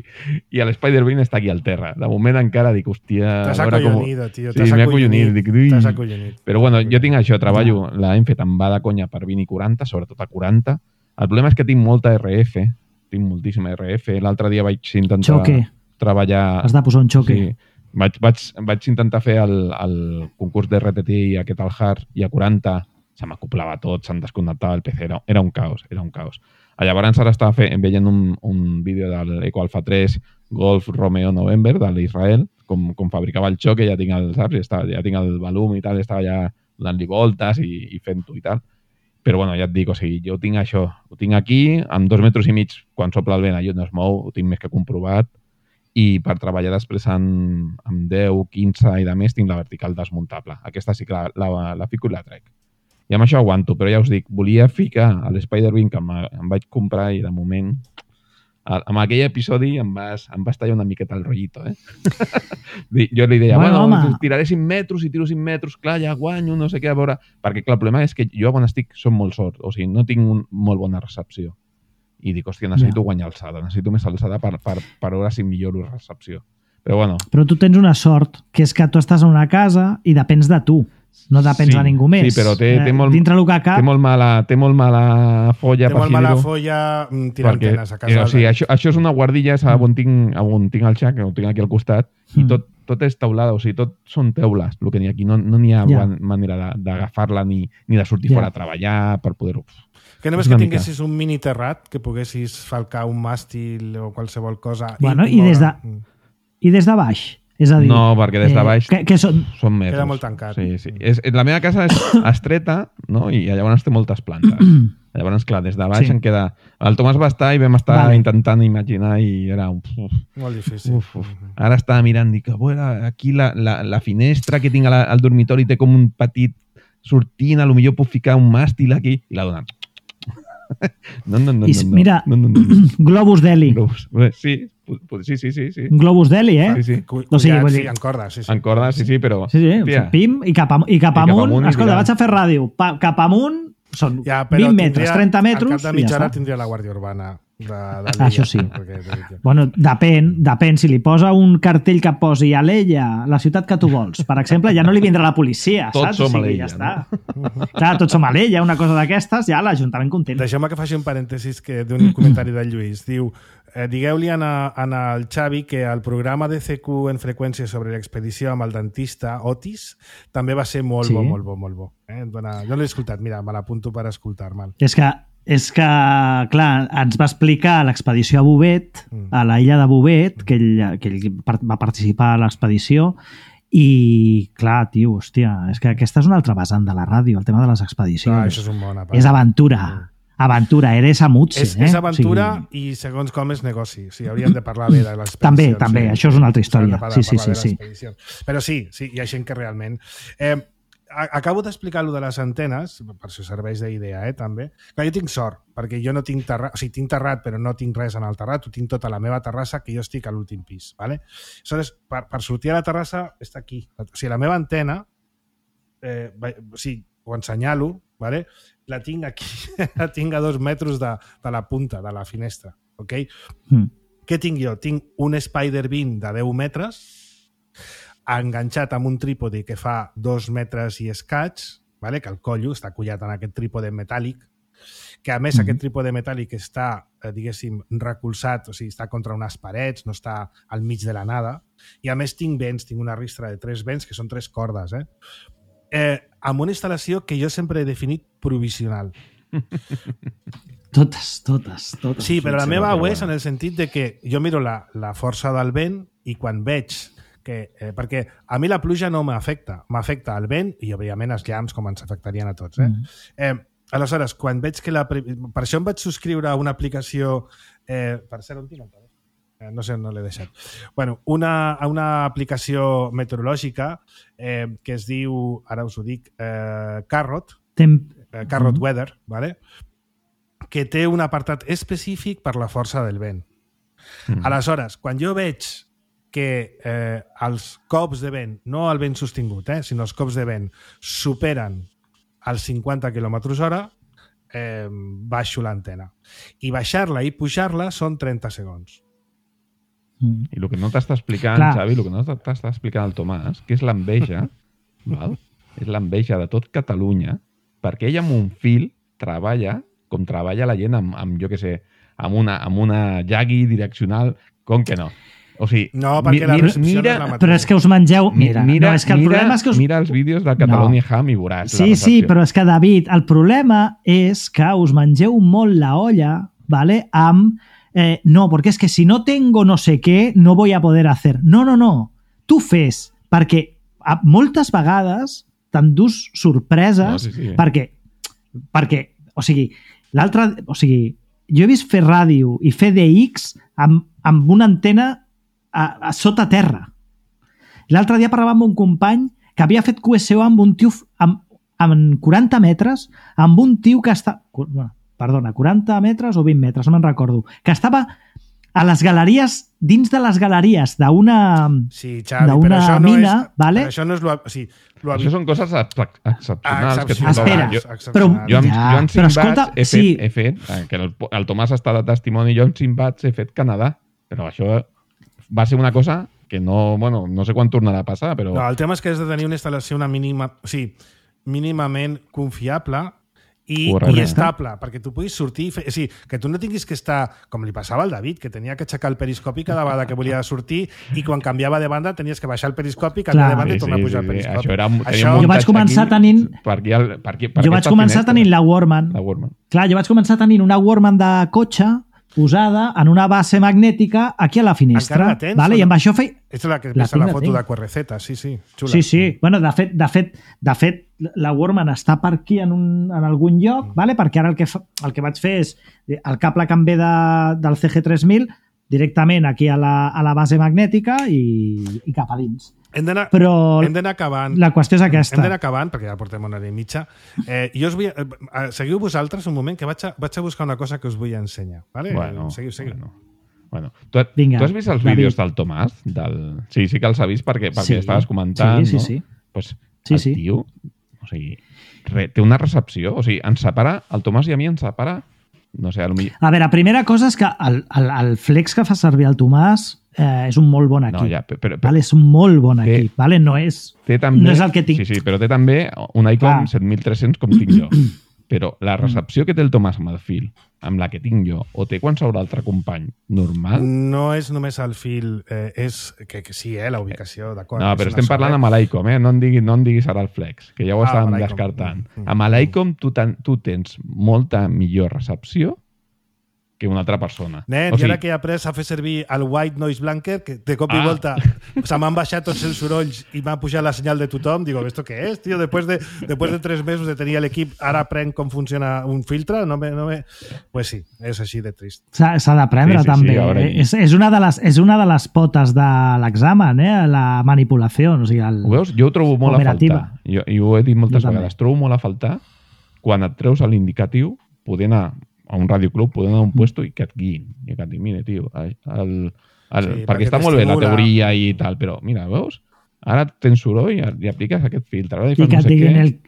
I l'Spider-Bean està aquí al terra. De moment encara dic, hòstia... T'has acollonido, com... tio. Sí, m'he acollonit. Dic, T'has acollonit. Però bueno, jo tinc això, treballo, la hem fet amb va de conya per vint i quaranta, sobretot a quaranta. El problema és que tinc molta R F, tinc moltíssima R F. L'altre dia vaig intentar xoque. treballar... Has de posar un xoque. Sí. Vaig, vaig, vaig intentar fer el, el concurs d'R T T i aquest al hard, i a quaranta se m'acoplava tot, se'm desconnectava el P C, era, era un caos, era un caos. Llavors ara estava fent, veient un, un vídeo de l'Eco Alpha tres Golf Romeo November de l'Israel, com, com fabricava el xoc, ja tinc el, saps? Ja, estava, ja tinc el volum i tal, estava ja donant-li voltes i, i fent-ho i tal. Però bueno, ja et dic, o sigui, jo tinc això, ho tinc aquí, amb dos metres i mig, quan sopla el vent allò no es mou, ho tinc més que comprovat, i per treballar després amb, amb deu, quinze i de més tinc la vertical desmuntable. Aquesta sí que la, la, la fico i la trec. I amb això aguanto, però ja us dic, volia ficar a l'Spider-Bean que em, em vaig comprar i de moment, amb aquell episodi em vas, em vas tallar una miqueta el rotllito, eh? Jo li deia, bueno, bueno tiraré cinc metres i tiro cinc metres, clar, ja guanyo, no sé què, a veure... Perquè clar, el problema és que jo quan estic som molt sort, o sigui, no tinc un, molt bona recepció. I dic, hòstia, necessito yeah. guanyar alçada, necessito més alçada per, per, per veure si milloro recepció. Però bueno... Però tu tens una sort, que és que tu estàs en una casa i depens de tu. No depens sí, de ningú més. Sí, però té, té, molt, dintre el que cap... té, molt mala, té molt mala folla. Té molt mala folla tirar perquè, antenes a casa. Eh, o sigui, això, això és una guardilla, és on tinc, on tinc el xac, ho tinc aquí al costat, mm. i tot, tot és teulada, o sigui, tot són teules, el que n'hi ha aquí. No n'hi no ha yeah. manera d'agafar-la ni, ni de sortir yeah. fora a treballar per poder-ho... Que només que tinguessis mica. un mini terrat, que poguessis falcar un màstil o qualsevol cosa... Bueno, i, i, des de, i des de baix? És a dir... No, perquè des de baix eh, que, que són... són metres. Queda molt tancat. Sí, sí. És, la meva casa és estreta, no? I llavors té moltes plantes. Llavors, clar, des de baix sí. em queda... El Tomàs va estar i vam estar vale. intentant imaginar i era... Uf, molt difícil. Uf, uf. Ara estava mirant, dic, bueno, aquí la, la, la finestra que tinc al, al dormitori té com un petit sortint, a lo millor puc ficar un màstil aquí, i l'ha donat. No, no, no, I, no, mira, no, no, no, no. Globus Deli. Globus. Sí, sí, sí, sí, sí. Globus Deli, eh? Sí, sí. O sigui, vull dir... Sí, en corda, sí, sí. En corda, sí, sí, però... Sí, sí, tia, pim, i cap, am, i cap i amunt. Cap amunt escolta, vaig a fer ràdio. Pa, cap amunt són ja, vint metres, trenta metres... Al cap de mitja hora tindria la Guàrdia Urbana. De, de ah, això sí. Perquè, bueno, depèn, depèn. Si li posa un cartell que posi a l'Ella, la ciutat que tu vols, per exemple, ja no li vindrà la policia, tots saps? Som o sigui, ja està. No? Clar, tots som a l'Ella, una cosa d'aquestes, ja l'Ajuntament content. Deixeu-me que faci un parèntesis que d'un comentari del Lluís. Diu, eh, digueu-li en el Xavi que el programa de C Q en freqüència sobre l'expedició amb el dentista Otis també va ser molt sí. bo, molt bo, molt bo. Eh? Dona, jo no l'he escoltat, mira, me l'apunto per escoltar-me'l. És que És que, clar, ens va explicar l'expedició a Bouvet, a l'illa de Bouvet, que ell, que ell va participar a l'expedició, i, clar, tio, hòstia, és que aquesta és una altra vessant de la ràdio, el tema de les expedicions. Ah, això és un bon apart. És aventura. Aventura, eres amutse. És, eh? és aventura o sigui... i segons com és negoci. O sigui, hauríem de parlar bé de l'expedició. També, també, sí. Això és una altra història. Parlar, sí, sí, sí, sí. Però sí, sí, hi ha gent que realment... Eh, acabo d'explicar lo de les antenes, per si serveix d'idea, eh, també. Clar, jo tinc sort, perquè jo no tinc terrat, o sigui, tinc terrat, però no tinc res en el terrat, ho tinc tota la meva terrassa, que jo estic a l'últim pis, ¿vale? Aleshores, per, per sortir a la terrassa, està aquí. O sigui, la meva antena, eh, o sigui, ho ensenyalo, ¿vale? La tinc aquí, la tinc a dos metres de, de la punta, de la finestra, ok? Mm. Què tinc jo? Tinc un Spider-Bean de deu metres, enganxat amb un trípode que fa dos metres i escaig, vale? Que el collo està collat en aquest trípode metàl·lic, que a més mm-hmm. aquest trípode metàl·lic està, eh, diguéssim, recolzat, o sigui, està contra unes parets, no està al mig de la nada, i a més tinc vents, tinc una ristra de tres vents, que són tres cordes, eh? Eh, amb una instal·lació que jo sempre he definit provisional. Totes, totes, totes. Sí, però la meva ho és en el sentit de que jo miro la, la força del vent i quan veig que, eh, perquè a mi la pluja no m'afecta, m'afecta el vent i, òbviament, els llamps, com ens afectarien a tots. Eh? Mm. Eh, aleshores, quan veig que la... Per això em vaig subscriure a una aplicació... Eh, per ser on tinc el telèfon? Eh, no sé, no l'he deixat. Bueno, una, una aplicació meteorològica eh, que es diu, ara us ho dic, eh, Carrot, Tem... eh, Carrot mm. Weather, ¿vale? Que té un apartat específic per la força del vent. Mm. Aleshores, quan jo veig que eh, els cops de vent, no el vent sostingut, eh, sinó els cops de vent superen els cinquanta quilòmetres hora, eh, baixo l'antena. I baixar-la i pujar-la són trenta segons. Mm. I el que no t'està explicant, Clar. Xavi, el que no t'està explicant el Tomàs, que és l'enveja, val? És l'enveja de tot Catalunya, perquè ell amb un fil treballa com treballa la gent amb, amb jo què sé, amb una, amb una llagui direccional, com que no? O sigui, no, perquè la recepció mira, no és la mateixa. Però és que us mengeu... Mira, mira, no, és que el mira, problema és que us... mira els vídeos del Catalonia no. Ham i veuràs sí, la recepció. Sí, però és que, David, el problema és que us mengeu molt la olla, ¿vale? Amb... Eh, no, perquè és que si no tengo no sé què, no voy a poder hacer. No, no, no. Tu fes, perquè a moltes vegades t'endús sorpreses, no, sí, sí. perquè, perquè, o sigui, l'altre... O sigui, jo he vist fer ràdio i fer D X amb, amb una antena a, a sota terra. L'altre dia parlava amb un company que havia fet Q S O amb un tio amb, amb quaranta metres, amb un tio que està... Perdona, quaranta metres o vint metres, no me'n recordo. Que estava a les galeries, dins de les galeries d'una sí, Xavi, però això no mina, és, ¿vale? Però això no és... Lo, o sigui, lo això són coses excepcionals. Ah, que Espera, jo, però... Jo, amb, ja, jo amb però Simbats escolta, he fet, sí. he fet que el, el Tomàs està de testimoni, jo amb Simbats he fet Canadà, però això va ser una cosa que no, bueno, no sé quan tornarà a passar, però... No, el tema és que has de tenir una instal·lació una mínima, o sigui, mínimament confiable i, i estable, perquè tu puguis sortir i fer... O sigui, que tu no tinguis que estar, com li passava al David, que tenia que aixecar el periscopi cada vegada que volia sortir i quan canviava de banda tenies que baixar el periscopi, canviar de banda sí, i tornar sí, a pujar sí, el periscopi. Això era, això... Jo vaig començar tenint... Per aquí, per aquí, per jo vaig començar finestra. tenint la Warman. La Warman. Clar, jo vaig començar tenint una Warman de cotxe posada en una base magnètica aquí a la finestra. Encara la tens? Vale? I amb això feia... És la que pesa la, la foto de Q R Z, sí, sí. Xula. Sí, sí. Bueno, de fet, de fet, de fet la Warman està per aquí en, un, en algun lloc, mm. vale? Perquè ara el que, fa, el que vaig fer és el cable que em ve de, del C G tres mil directament aquí a la, a la base magnètica i, i cap a dins. Hem d'anar acabant. La qüestió és aquesta. Hem d'anar acabant, perquè ja portem una hora i mitja. Eh, jo us vull... Eh, seguiu vosaltres un moment, que vaig a, vaig a buscar una cosa que us vull ensenyar. Vale? Bueno, seguiu, seguiu. Bueno. Bueno, tu, Vinga, tu has vist els David. vídeos del Tomàs? Del... Sí, sí que els has vist perquè, perquè sí, estaves comentant, sí, sí, no? sí. Pues sí, el sí. tio, o sigui, re, té una recepció, o sigui, ens separa, el Tomàs i a mi ens separa, no sé, a lo millor... A veure, primera cosa és que el, el, el flex que fa servir el Tomàs eh, és un molt bon equip. No, ja, però, però, vale? És un molt bon té, equip, vale? No és, té també, no és el que tinc. Sí, sí, però té també un Icon set mil tres-cents com tinc jo. Però la recepció que té el Tomàs amb el fil, amb la que tinc jo, o té qualsevol altre company normal... No és només el fil, eh, és que, que sí, eh, la ubicació, d'acord. No, però estem parlant amb l'Icom, eh? No em diguis, no em diguis ara el Flex, que ja ho ah, estàvem descartant. Mm, mm, amb l'Icom tu, tu tens molta millor recepció que una altra persona. Nen, o sigui, i ara que he après a fer servir el White Noise Blanker, que de cop i ah. volta se m'han baixat tots els sorolls i m'ha pujat la senyal de tothom, digo, ¿esto qué es, tío? Después de, después de tres mesos de tenir l'equip, ara aprenc com funciona un filtre? No me, no me... Pues sí, és així de trist. S'ha d'aprendre, sí, sí, també. Sí, eh? és, és, una de les, és una de les potes de l'examen, eh? La manipulació. O sigui, el... Ho veus? Jo ho trobo molt operativa. a faltar. Jo, I ho he dit moltes jo vegades. També. Trobo molt a faltar quan et treus l'indicatiu, poder anar a un radioclub, poder anar a un puesto i que et guiïn. I que et dic, mira, tio, el, el, el, sí, perquè, perquè està molt bé la teoria i tal, però mira, veus? Ara tens soroll i, i apliques aquest filtre. I que et diguin, el,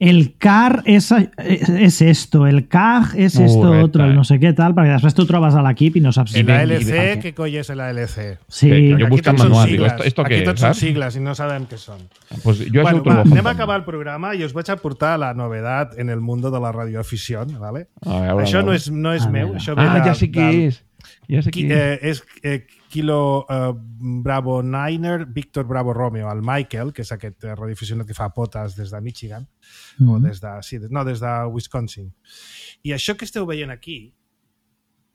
el car és, és esto, el C A G és esto Correcte. otro, el no sé què tal, perquè després tu trobes a l'equip i no saps... El A L C, què coi és el A L C? Sí. Que, jo busco en manual, digo, esto, esto aquí què tots és, són sigles i no sabem què són. Pues jo bueno, això ho trobo va, anem a faltant. acabar el programa i us vaig a portar la novedat en el mundo de la radioafición, ¿vale? Veure, això no és, no és a meu, veure. això ve Ah, de, ja sé qui del, és. Ja sé qui eh, és eh, Kilo eh, Bravo Niner, Víctor Bravo Romeo, el Michael, que és aquest eh, radioaficionat que fa potes des de Michigan, mm -hmm. o des de, sí, des, no, des de Wisconsin. I això que esteu veient aquí,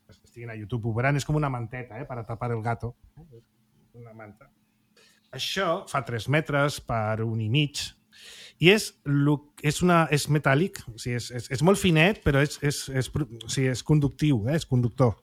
que estiguin a YouTube, ho veuran, és com una manteta, eh, per a tapar el gato. Una manta. Això fa tres metres per un i mig, i és, és, una, és metàl·lic, o sigui, és, és, és molt finet, però és, és, és, o sigui, és conductiu, eh? És conductor.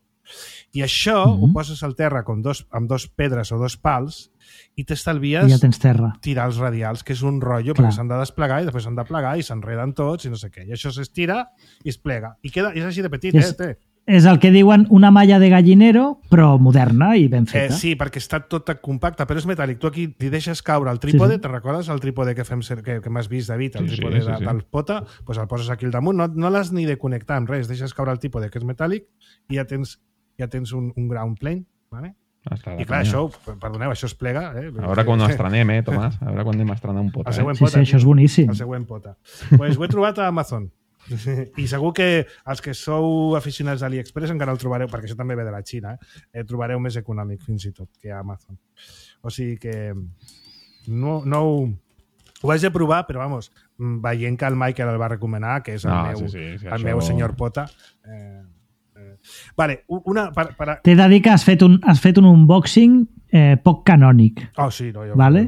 I això mm -hmm. ho poses al terra amb dos, amb dos pedres o dos pals i t'estalvies ja tens terra. Tirar els radials, que és un rotllo, Clar. perquè s'han de desplegar i després s'han de plegar i s'enreden tots i no sé què. I això s'estira i es plega. I queda, és així de petit, és, eh? Té. és el que diuen una malla de gallinero, però moderna i ben feta. Eh, sí, perquè està tot compacte, però és metàl·lic. Tu aquí li deixes caure el trípode, sí, sí. Te'n recordes el trípode que, fem, que, que m'has vist, David, el sí, trípode sí, sí, sí. del pota, doncs el poses aquí al damunt, no, no l'has ni de connectar amb res, deixes caure el trípode que és metàl·lic i ja tens, ja tens un, un ground plane, vale? I clar, això, perdoneu, això es plega. Eh? A veure quan ho estrenem, eh, Tomàs? A veure quan anem a estrenar un pota. Eh? Sí, sí, això és boníssim. El següent pota. Pues ho he trobat a Amazon. I segur que els que sou aficionats a AliExpress encara el trobareu, perquè això també ve de la Xina, eh? El trobareu més econòmic fins i tot que a Amazon. O sigui que no, no ho... Ho vaig de provar, però vamos, veient que el Michael el va recomanar, que és el no, meu, sí, sí, sí, el això... meu senyor pota... Eh... Vale, una... Per, per... T'he de dir que has fet un, has fet un unboxing eh, poc canònic. Oh, sí, no, jo... Vale?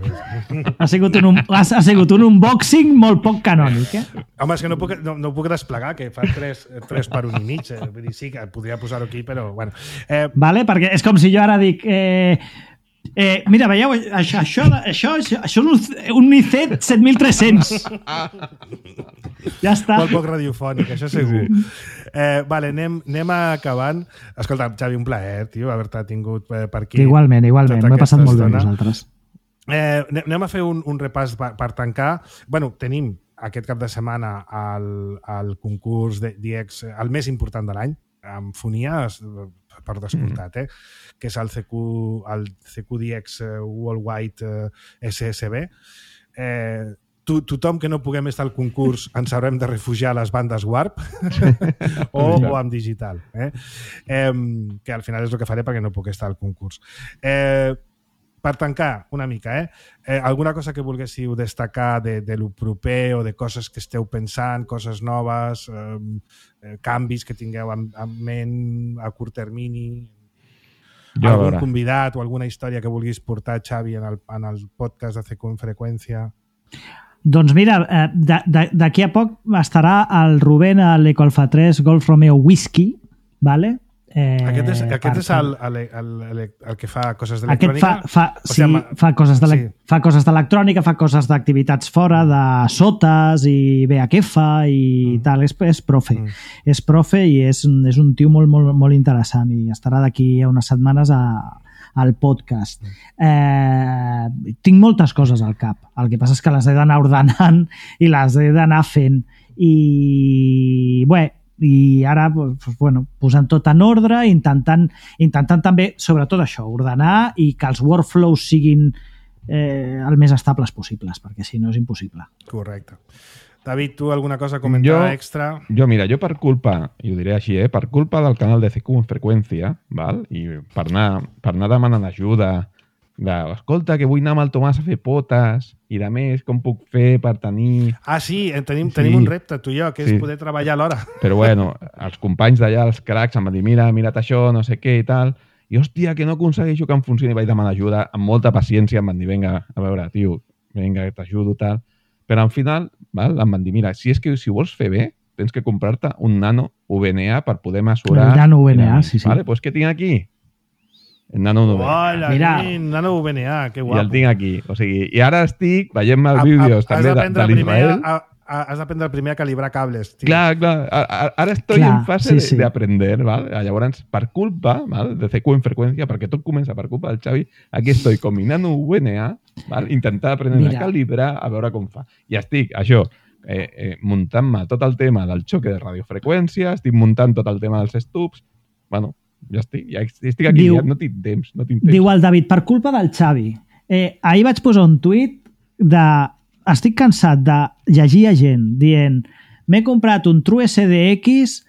ha, sigut un, ha, ha sigut un unboxing molt poc canònic, eh? Home, és que no puc, no, no puc desplegar, que fa tres, tres per un i mig. Eh? Vull dir, sí, que podria posar-ho aquí, però... Bueno. Eh... Vale, perquè és com si jo ara dic... Eh, Eh, mira, veieu, això, això, això, això, això és un, un I C E T set mil tres-cents. Ja està. Molt poc radiofònic, això segur. Eh, vale, anem, anem acabant. Escolta, Xavi, un plaer, tio, haver-te tingut per aquí. Igualment, igualment. M'he passat molt bé amb vosaltres. Eh, anem a fer un, un repàs per, per tancar. Bueno, tenim aquest cap de setmana el, el concurs de D X, el més important de l'any, amb fonia, per descomptat, eh? Que és el C Q, el C Q D X Worldwide S S B. Eh, to, tothom que no puguem estar al concurs ens haurem de refugiar a les bandes Warp o, o amb digital. Eh? Eh, que al final és el que faré perquè no puc estar al concurs. Eh, per tancar una mica, eh? eh? Alguna cosa que volguéssiu destacar de, de lo proper o de coses que esteu pensant, coses noves, eh, canvis que tingueu en, en ment a curt termini, jo, algun convidat o alguna història que vulguis portar, Xavi, en el, en el podcast de C Q en freqüència? Doncs mira, eh, d'aquí a poc estarà el Rubén a l'Eco Alfa tres Golf Romeo Whisky, ¿vale? Eh, aquest és, aquest és el, el, el, el, el que fa coses d'electrònica? Aquest fa, fa, sí, sigui, fa coses de sí. fa coses d'electrònica, fa coses d'activitats fora, de sotes i V H F i mm. tal. És, és profe. Mm. És profe i és, és un tio molt, molt, molt interessant i estarà d'aquí a unes setmanes a, al podcast. Mm. Eh, tinc moltes coses al cap. El que passa és que les he d'anar ordenant i les he d'anar fent. I, bé, i ara pues, bueno, posant tot en ordre, intentant, intentant també, sobretot això, ordenar i que els workflows siguin eh, el més estables possibles, perquè si no és impossible. Correcte. David, tu alguna cosa a comentar jo, extra? Jo, mira, jo per culpa, i ho diré així, eh, per culpa del canal de C Q en freqüència, val? I per anar, per anar demanant ajuda, de, escolta, que vull anar amb el Tomàs a fer potes i de més, com puc fer per tenir... Ah, sí, tenim, tenim sí. un repte, tu i jo, que és sí. poder treballar alhora. Però bueno, els companys d'allà, els cracs, em van dir, mira, mira't això, no sé què i tal, i hòstia, que no aconsegueixo que em funcioni, vaig demanar ajuda, amb molta paciència, em van dir, vinga, a veure, tio, vinga, t'ajudo, tal. Però al final, val, em van dir, mira, si és que si ho vols fer bé, tens que comprar-te un nano V N A per poder mesurar... Un nano V N A, sí, sí. Vale, pues què tinc aquí? El nano V N A. Hola, mira, nano V N A, que guapo. I el tinc aquí. O sigui, i ara estic veient-me els vídeos a, a, també de, de l'Israel. Has d'aprendre primer a calibrar cables. Tio. Clar, clar. Ara, ara estoy clar, en fase sí, sí. d'aprender, ¿vale? Llavors, per culpa, ¿vale? De C Q en freqüència, perquè tot comença per culpa del Xavi, aquí estoy con mi nano V N A, ¿vale? Intentar aprendre Mira. a calibrar, a veure com fa. I estic, això, eh, eh, muntant-me tot el tema del xoque de radiofreqüència, estic muntant tot el tema dels stubs, bueno, ja estic, ja estic aquí, diu, ja no tinc temps, no tinc temps. Diu el David, per culpa del Xavi. Eh, ahir vaig posar un tuit de... Estic cansat de llegir a gent dient m'he comprat un True S D X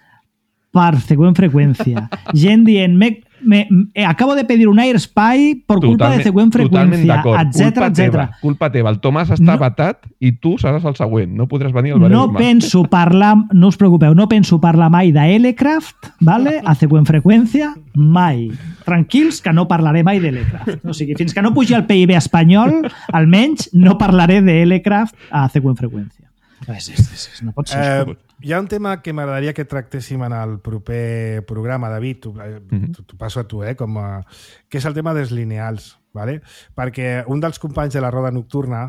per C Q en freqüència. Gent dient me, me, me, acabo de pedir un AirSpy per culpa de C Q en freqüència, etcètera, etcètera. Culpa teva. El Tomàs està no, batat i tu seràs el següent. No podràs venir al No penso parlar, no us preocupeu, no penso parlar mai d'Elecraft, vale? A C Q en freqüència, mai. Tranquils, que no parlaré mai d'Elecraft. O sigui, fins que no pugi el P I B espanyol, almenys no parlaré d'Elecraft a C Q en freqüència. És, és, és, no pot ser. Eh, hi ha un tema que m'agradaria que tractéssim en el proper programa, David, t'ho mm-hmm. passo a tu, eh, com a, que és el tema dels lineals, ¿vale? Perquè un dels companys de la roda nocturna,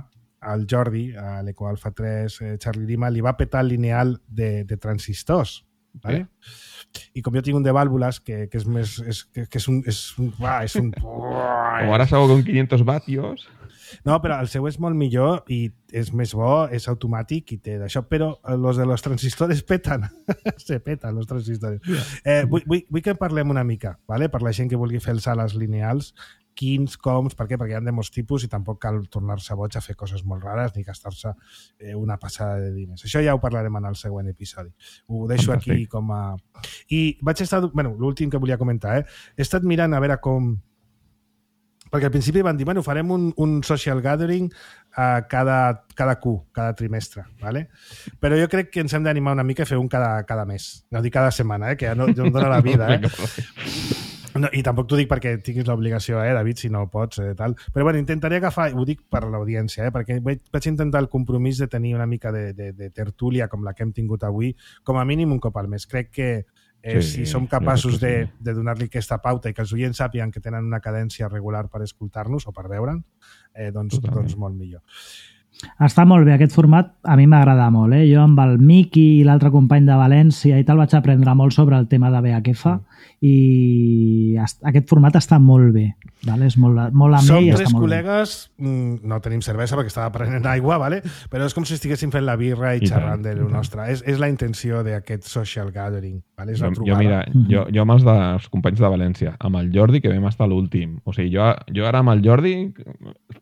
el Jordi, a l'Eco Alfa tres, eh, Charlie Lima, li va petar el lineal de, de transistors, ¿vale? I com jo tinc un de vàlvules que, que és més... És, que, que és un... És un, uah, és un com ara salgo con quinientos vatios... No, però el seu és molt millor i és més bo, és automàtic i té d'això, però els de los transistores peten. Se peten, els transistores. Eh, vull, vull, vull que parlem una mica, ¿vale? Per la gent que vulgui fer els sales lineals, quins, coms, per què? Perquè hi ha de molts tipus i tampoc cal tornar-se boig a fer coses molt rares ni gastar-se eh, una passada de diners. Això ja ho parlarem en el següent episodi. Ho deixo aquí com a... I vaig estar... Bueno, l'últim que volia comentar, eh? He estat mirant a veure com... Perquè al principi van dir, bueno, farem un, un social gathering a cada, cada Q, cada trimestre, ¿vale? Però jo crec que ens hem d'animar una mica a fer un cada, cada mes, no dic cada setmana, eh? Que ja no, no em dóna la vida, eh? No, i tampoc t'ho dic perquè tinguis l'obligació, eh, David, si no pots, eh, tal. Però bueno, intentaré agafar, ho dic per l'audiència, eh, perquè vaig, vaig intentar el compromís de tenir una mica de, de, de tertúlia com la que hem tingut avui, com a mínim un cop al mes. Crec que Eh, sí, si som capaços sí. de, de donar-li aquesta pauta i que els oients sàpiguen que tenen una cadència regular per escoltar-nos o per veure'ns, eh, doncs, doncs molt millor. Està molt bé, aquest format a mi m'agrada molt. Eh? Jo amb el Miqui i l'altre company de València i tal vaig aprendre molt sobre el tema de B H F mm. i aquest format està molt bé. Vale? És molt, molt amè Som i està tres molt col·legues, bé. No tenim cervesa perquè estava prenent aigua, vale? Però és com si estiguéssim fent la birra i, I xerrant de lo nostre. És, és la intenció d'aquest social gathering. Vale? És la jo, jo, mira, jo, jo amb els dels companys de València, amb el Jordi, que vam estar l'últim. O sigui, jo, jo ara amb el Jordi,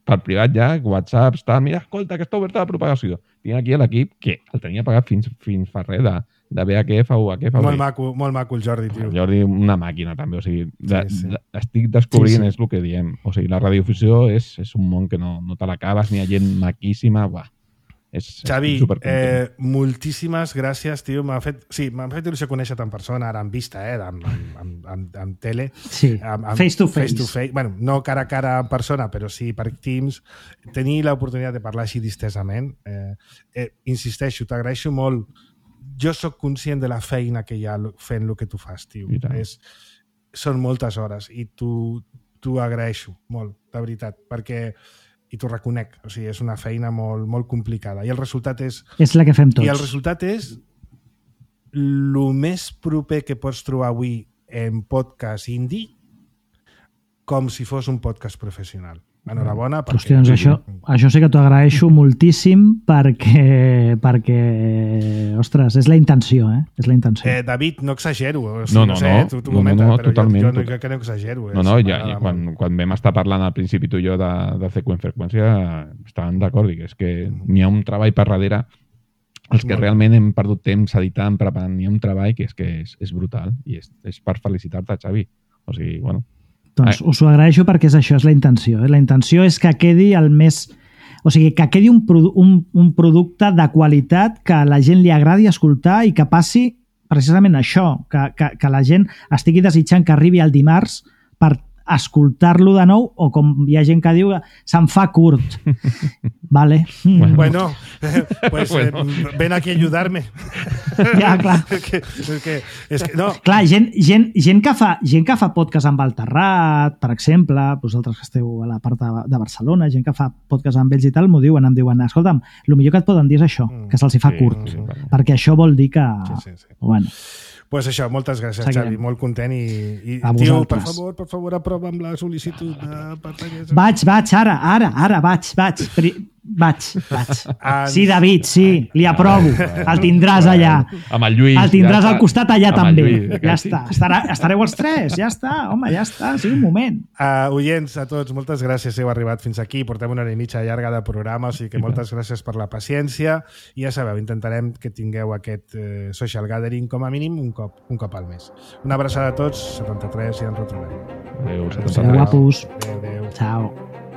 per privat ja, WhatsApp, està, mira, escolta, que està oberta la propagació. Tinc aquí l'equip que el tenia pagat fins, fins fa res de, de B H F o U H F. Molt maco, molt maco el Jordi, tio. El Jordi, una màquina, també. O sigui, de, sí, sí. De, estic descobrint, sí, sí. és el que diem. O sigui, la radiofusió és, és un món que no, no te l'acabes, ni hi ha gent maquíssima, buah. És, Xavi, eh, moltíssimes gràcies, tio. M'ha fet, sí, m'ha fet il·lusió conèixer-te en persona, ara en vista, eh, amb, amb, amb, amb tele. Sí, amb, amb, face to face. face to face. Bueno, no cara a cara en persona, però sí per Teams. Tenir l'oportunitat de parlar així distesament. Eh, eh, insisteixo, t'agraeixo molt. Jo sóc conscient de la feina que hi ha fent el que tu fas, tio. És, són moltes hores i t'ho agraeixo molt, de veritat, perquè i t'ho reconec, o sigui, és una feina molt, molt complicada. I el resultat és... És la que fem tots. I el resultat és el més proper que pots trobar avui en podcast indie com si fos un podcast professional. Enhorabona. Perquè... Hòstia, doncs això, això sí que t'ho agraeixo moltíssim perquè, perquè, ostres, és la intenció, eh? És la intenció. Eh, David, no exagero. O sigui, no, no, no, sé, no. Tu, tu no, comenta, no, no, però totalment. Jo, jo no, jo que no exagero. No, no, ja, ja, quan, quan vam estar parlant al principi tu i jo de, de C Q en freqüència estàvem d'acord, és que n'hi ha un treball per darrere. Els que realment hem perdut temps editant, preparant, n'hi ha un treball que és que és, és brutal i és, és per felicitar-te, Xavi. O sigui, bueno... Doncs us ho agraeixo perquè és això, és la intenció. Eh? La intenció és que quedi el més... O sigui, que quedi un, produ un, un producte de qualitat que a la gent li agradi escoltar i que passi precisament això, que, que, que la gent estigui desitjant que arribi el dimarts per escoltar-lo de nou, o com hi ha gent que diu se'n fa curt. Vale. Bueno, bueno eh, pues bueno. Eh, ven aquí a ayudarme. Ja, clar. és que, és que, és que, no. Clar, gent, gent, gent, que fa, gent que fa podcast amb el Terrat, per exemple, vosaltres que esteu a la part de, de Barcelona, gent que fa podcast amb ells i tal, m'ho diuen, em diuen, escolta'm, el millor que et poden dir és això, mm, que se'ls fa sí, curt, sí, sí, perquè això vol dir que... Sí, sí, sí. Bueno. Pues això, moltes gràcies, Seguirem. Xavi, molt content i, i tio, per favor, per favor, aprova amb la sol·licitud de pertanyes. Vaig, vaig, ara, ara, ara, vaig, vaig, vaig, vaig. En... Sí, David, sí, li aprovo, el tindràs allà. Amb el Lluís. El tindràs ja al costat allà també. Lluís, ja està, Estarà, estareu els tres, ja està, home, ja està, sí, un moment. Uh, oients, a tots, moltes gràcies, heu arribat fins aquí, portem una hora i mitja llarga de programa, o sigui que moltes gràcies per la paciència i ja sabeu, intentarem que tingueu aquest uh, social gathering com a mínim un cop, un cop al mes. Una abraçada a tots, setanta-tres i ens retrobem. Adéu, setanta-tres. Guapos. Adéu, adéu. Ciao.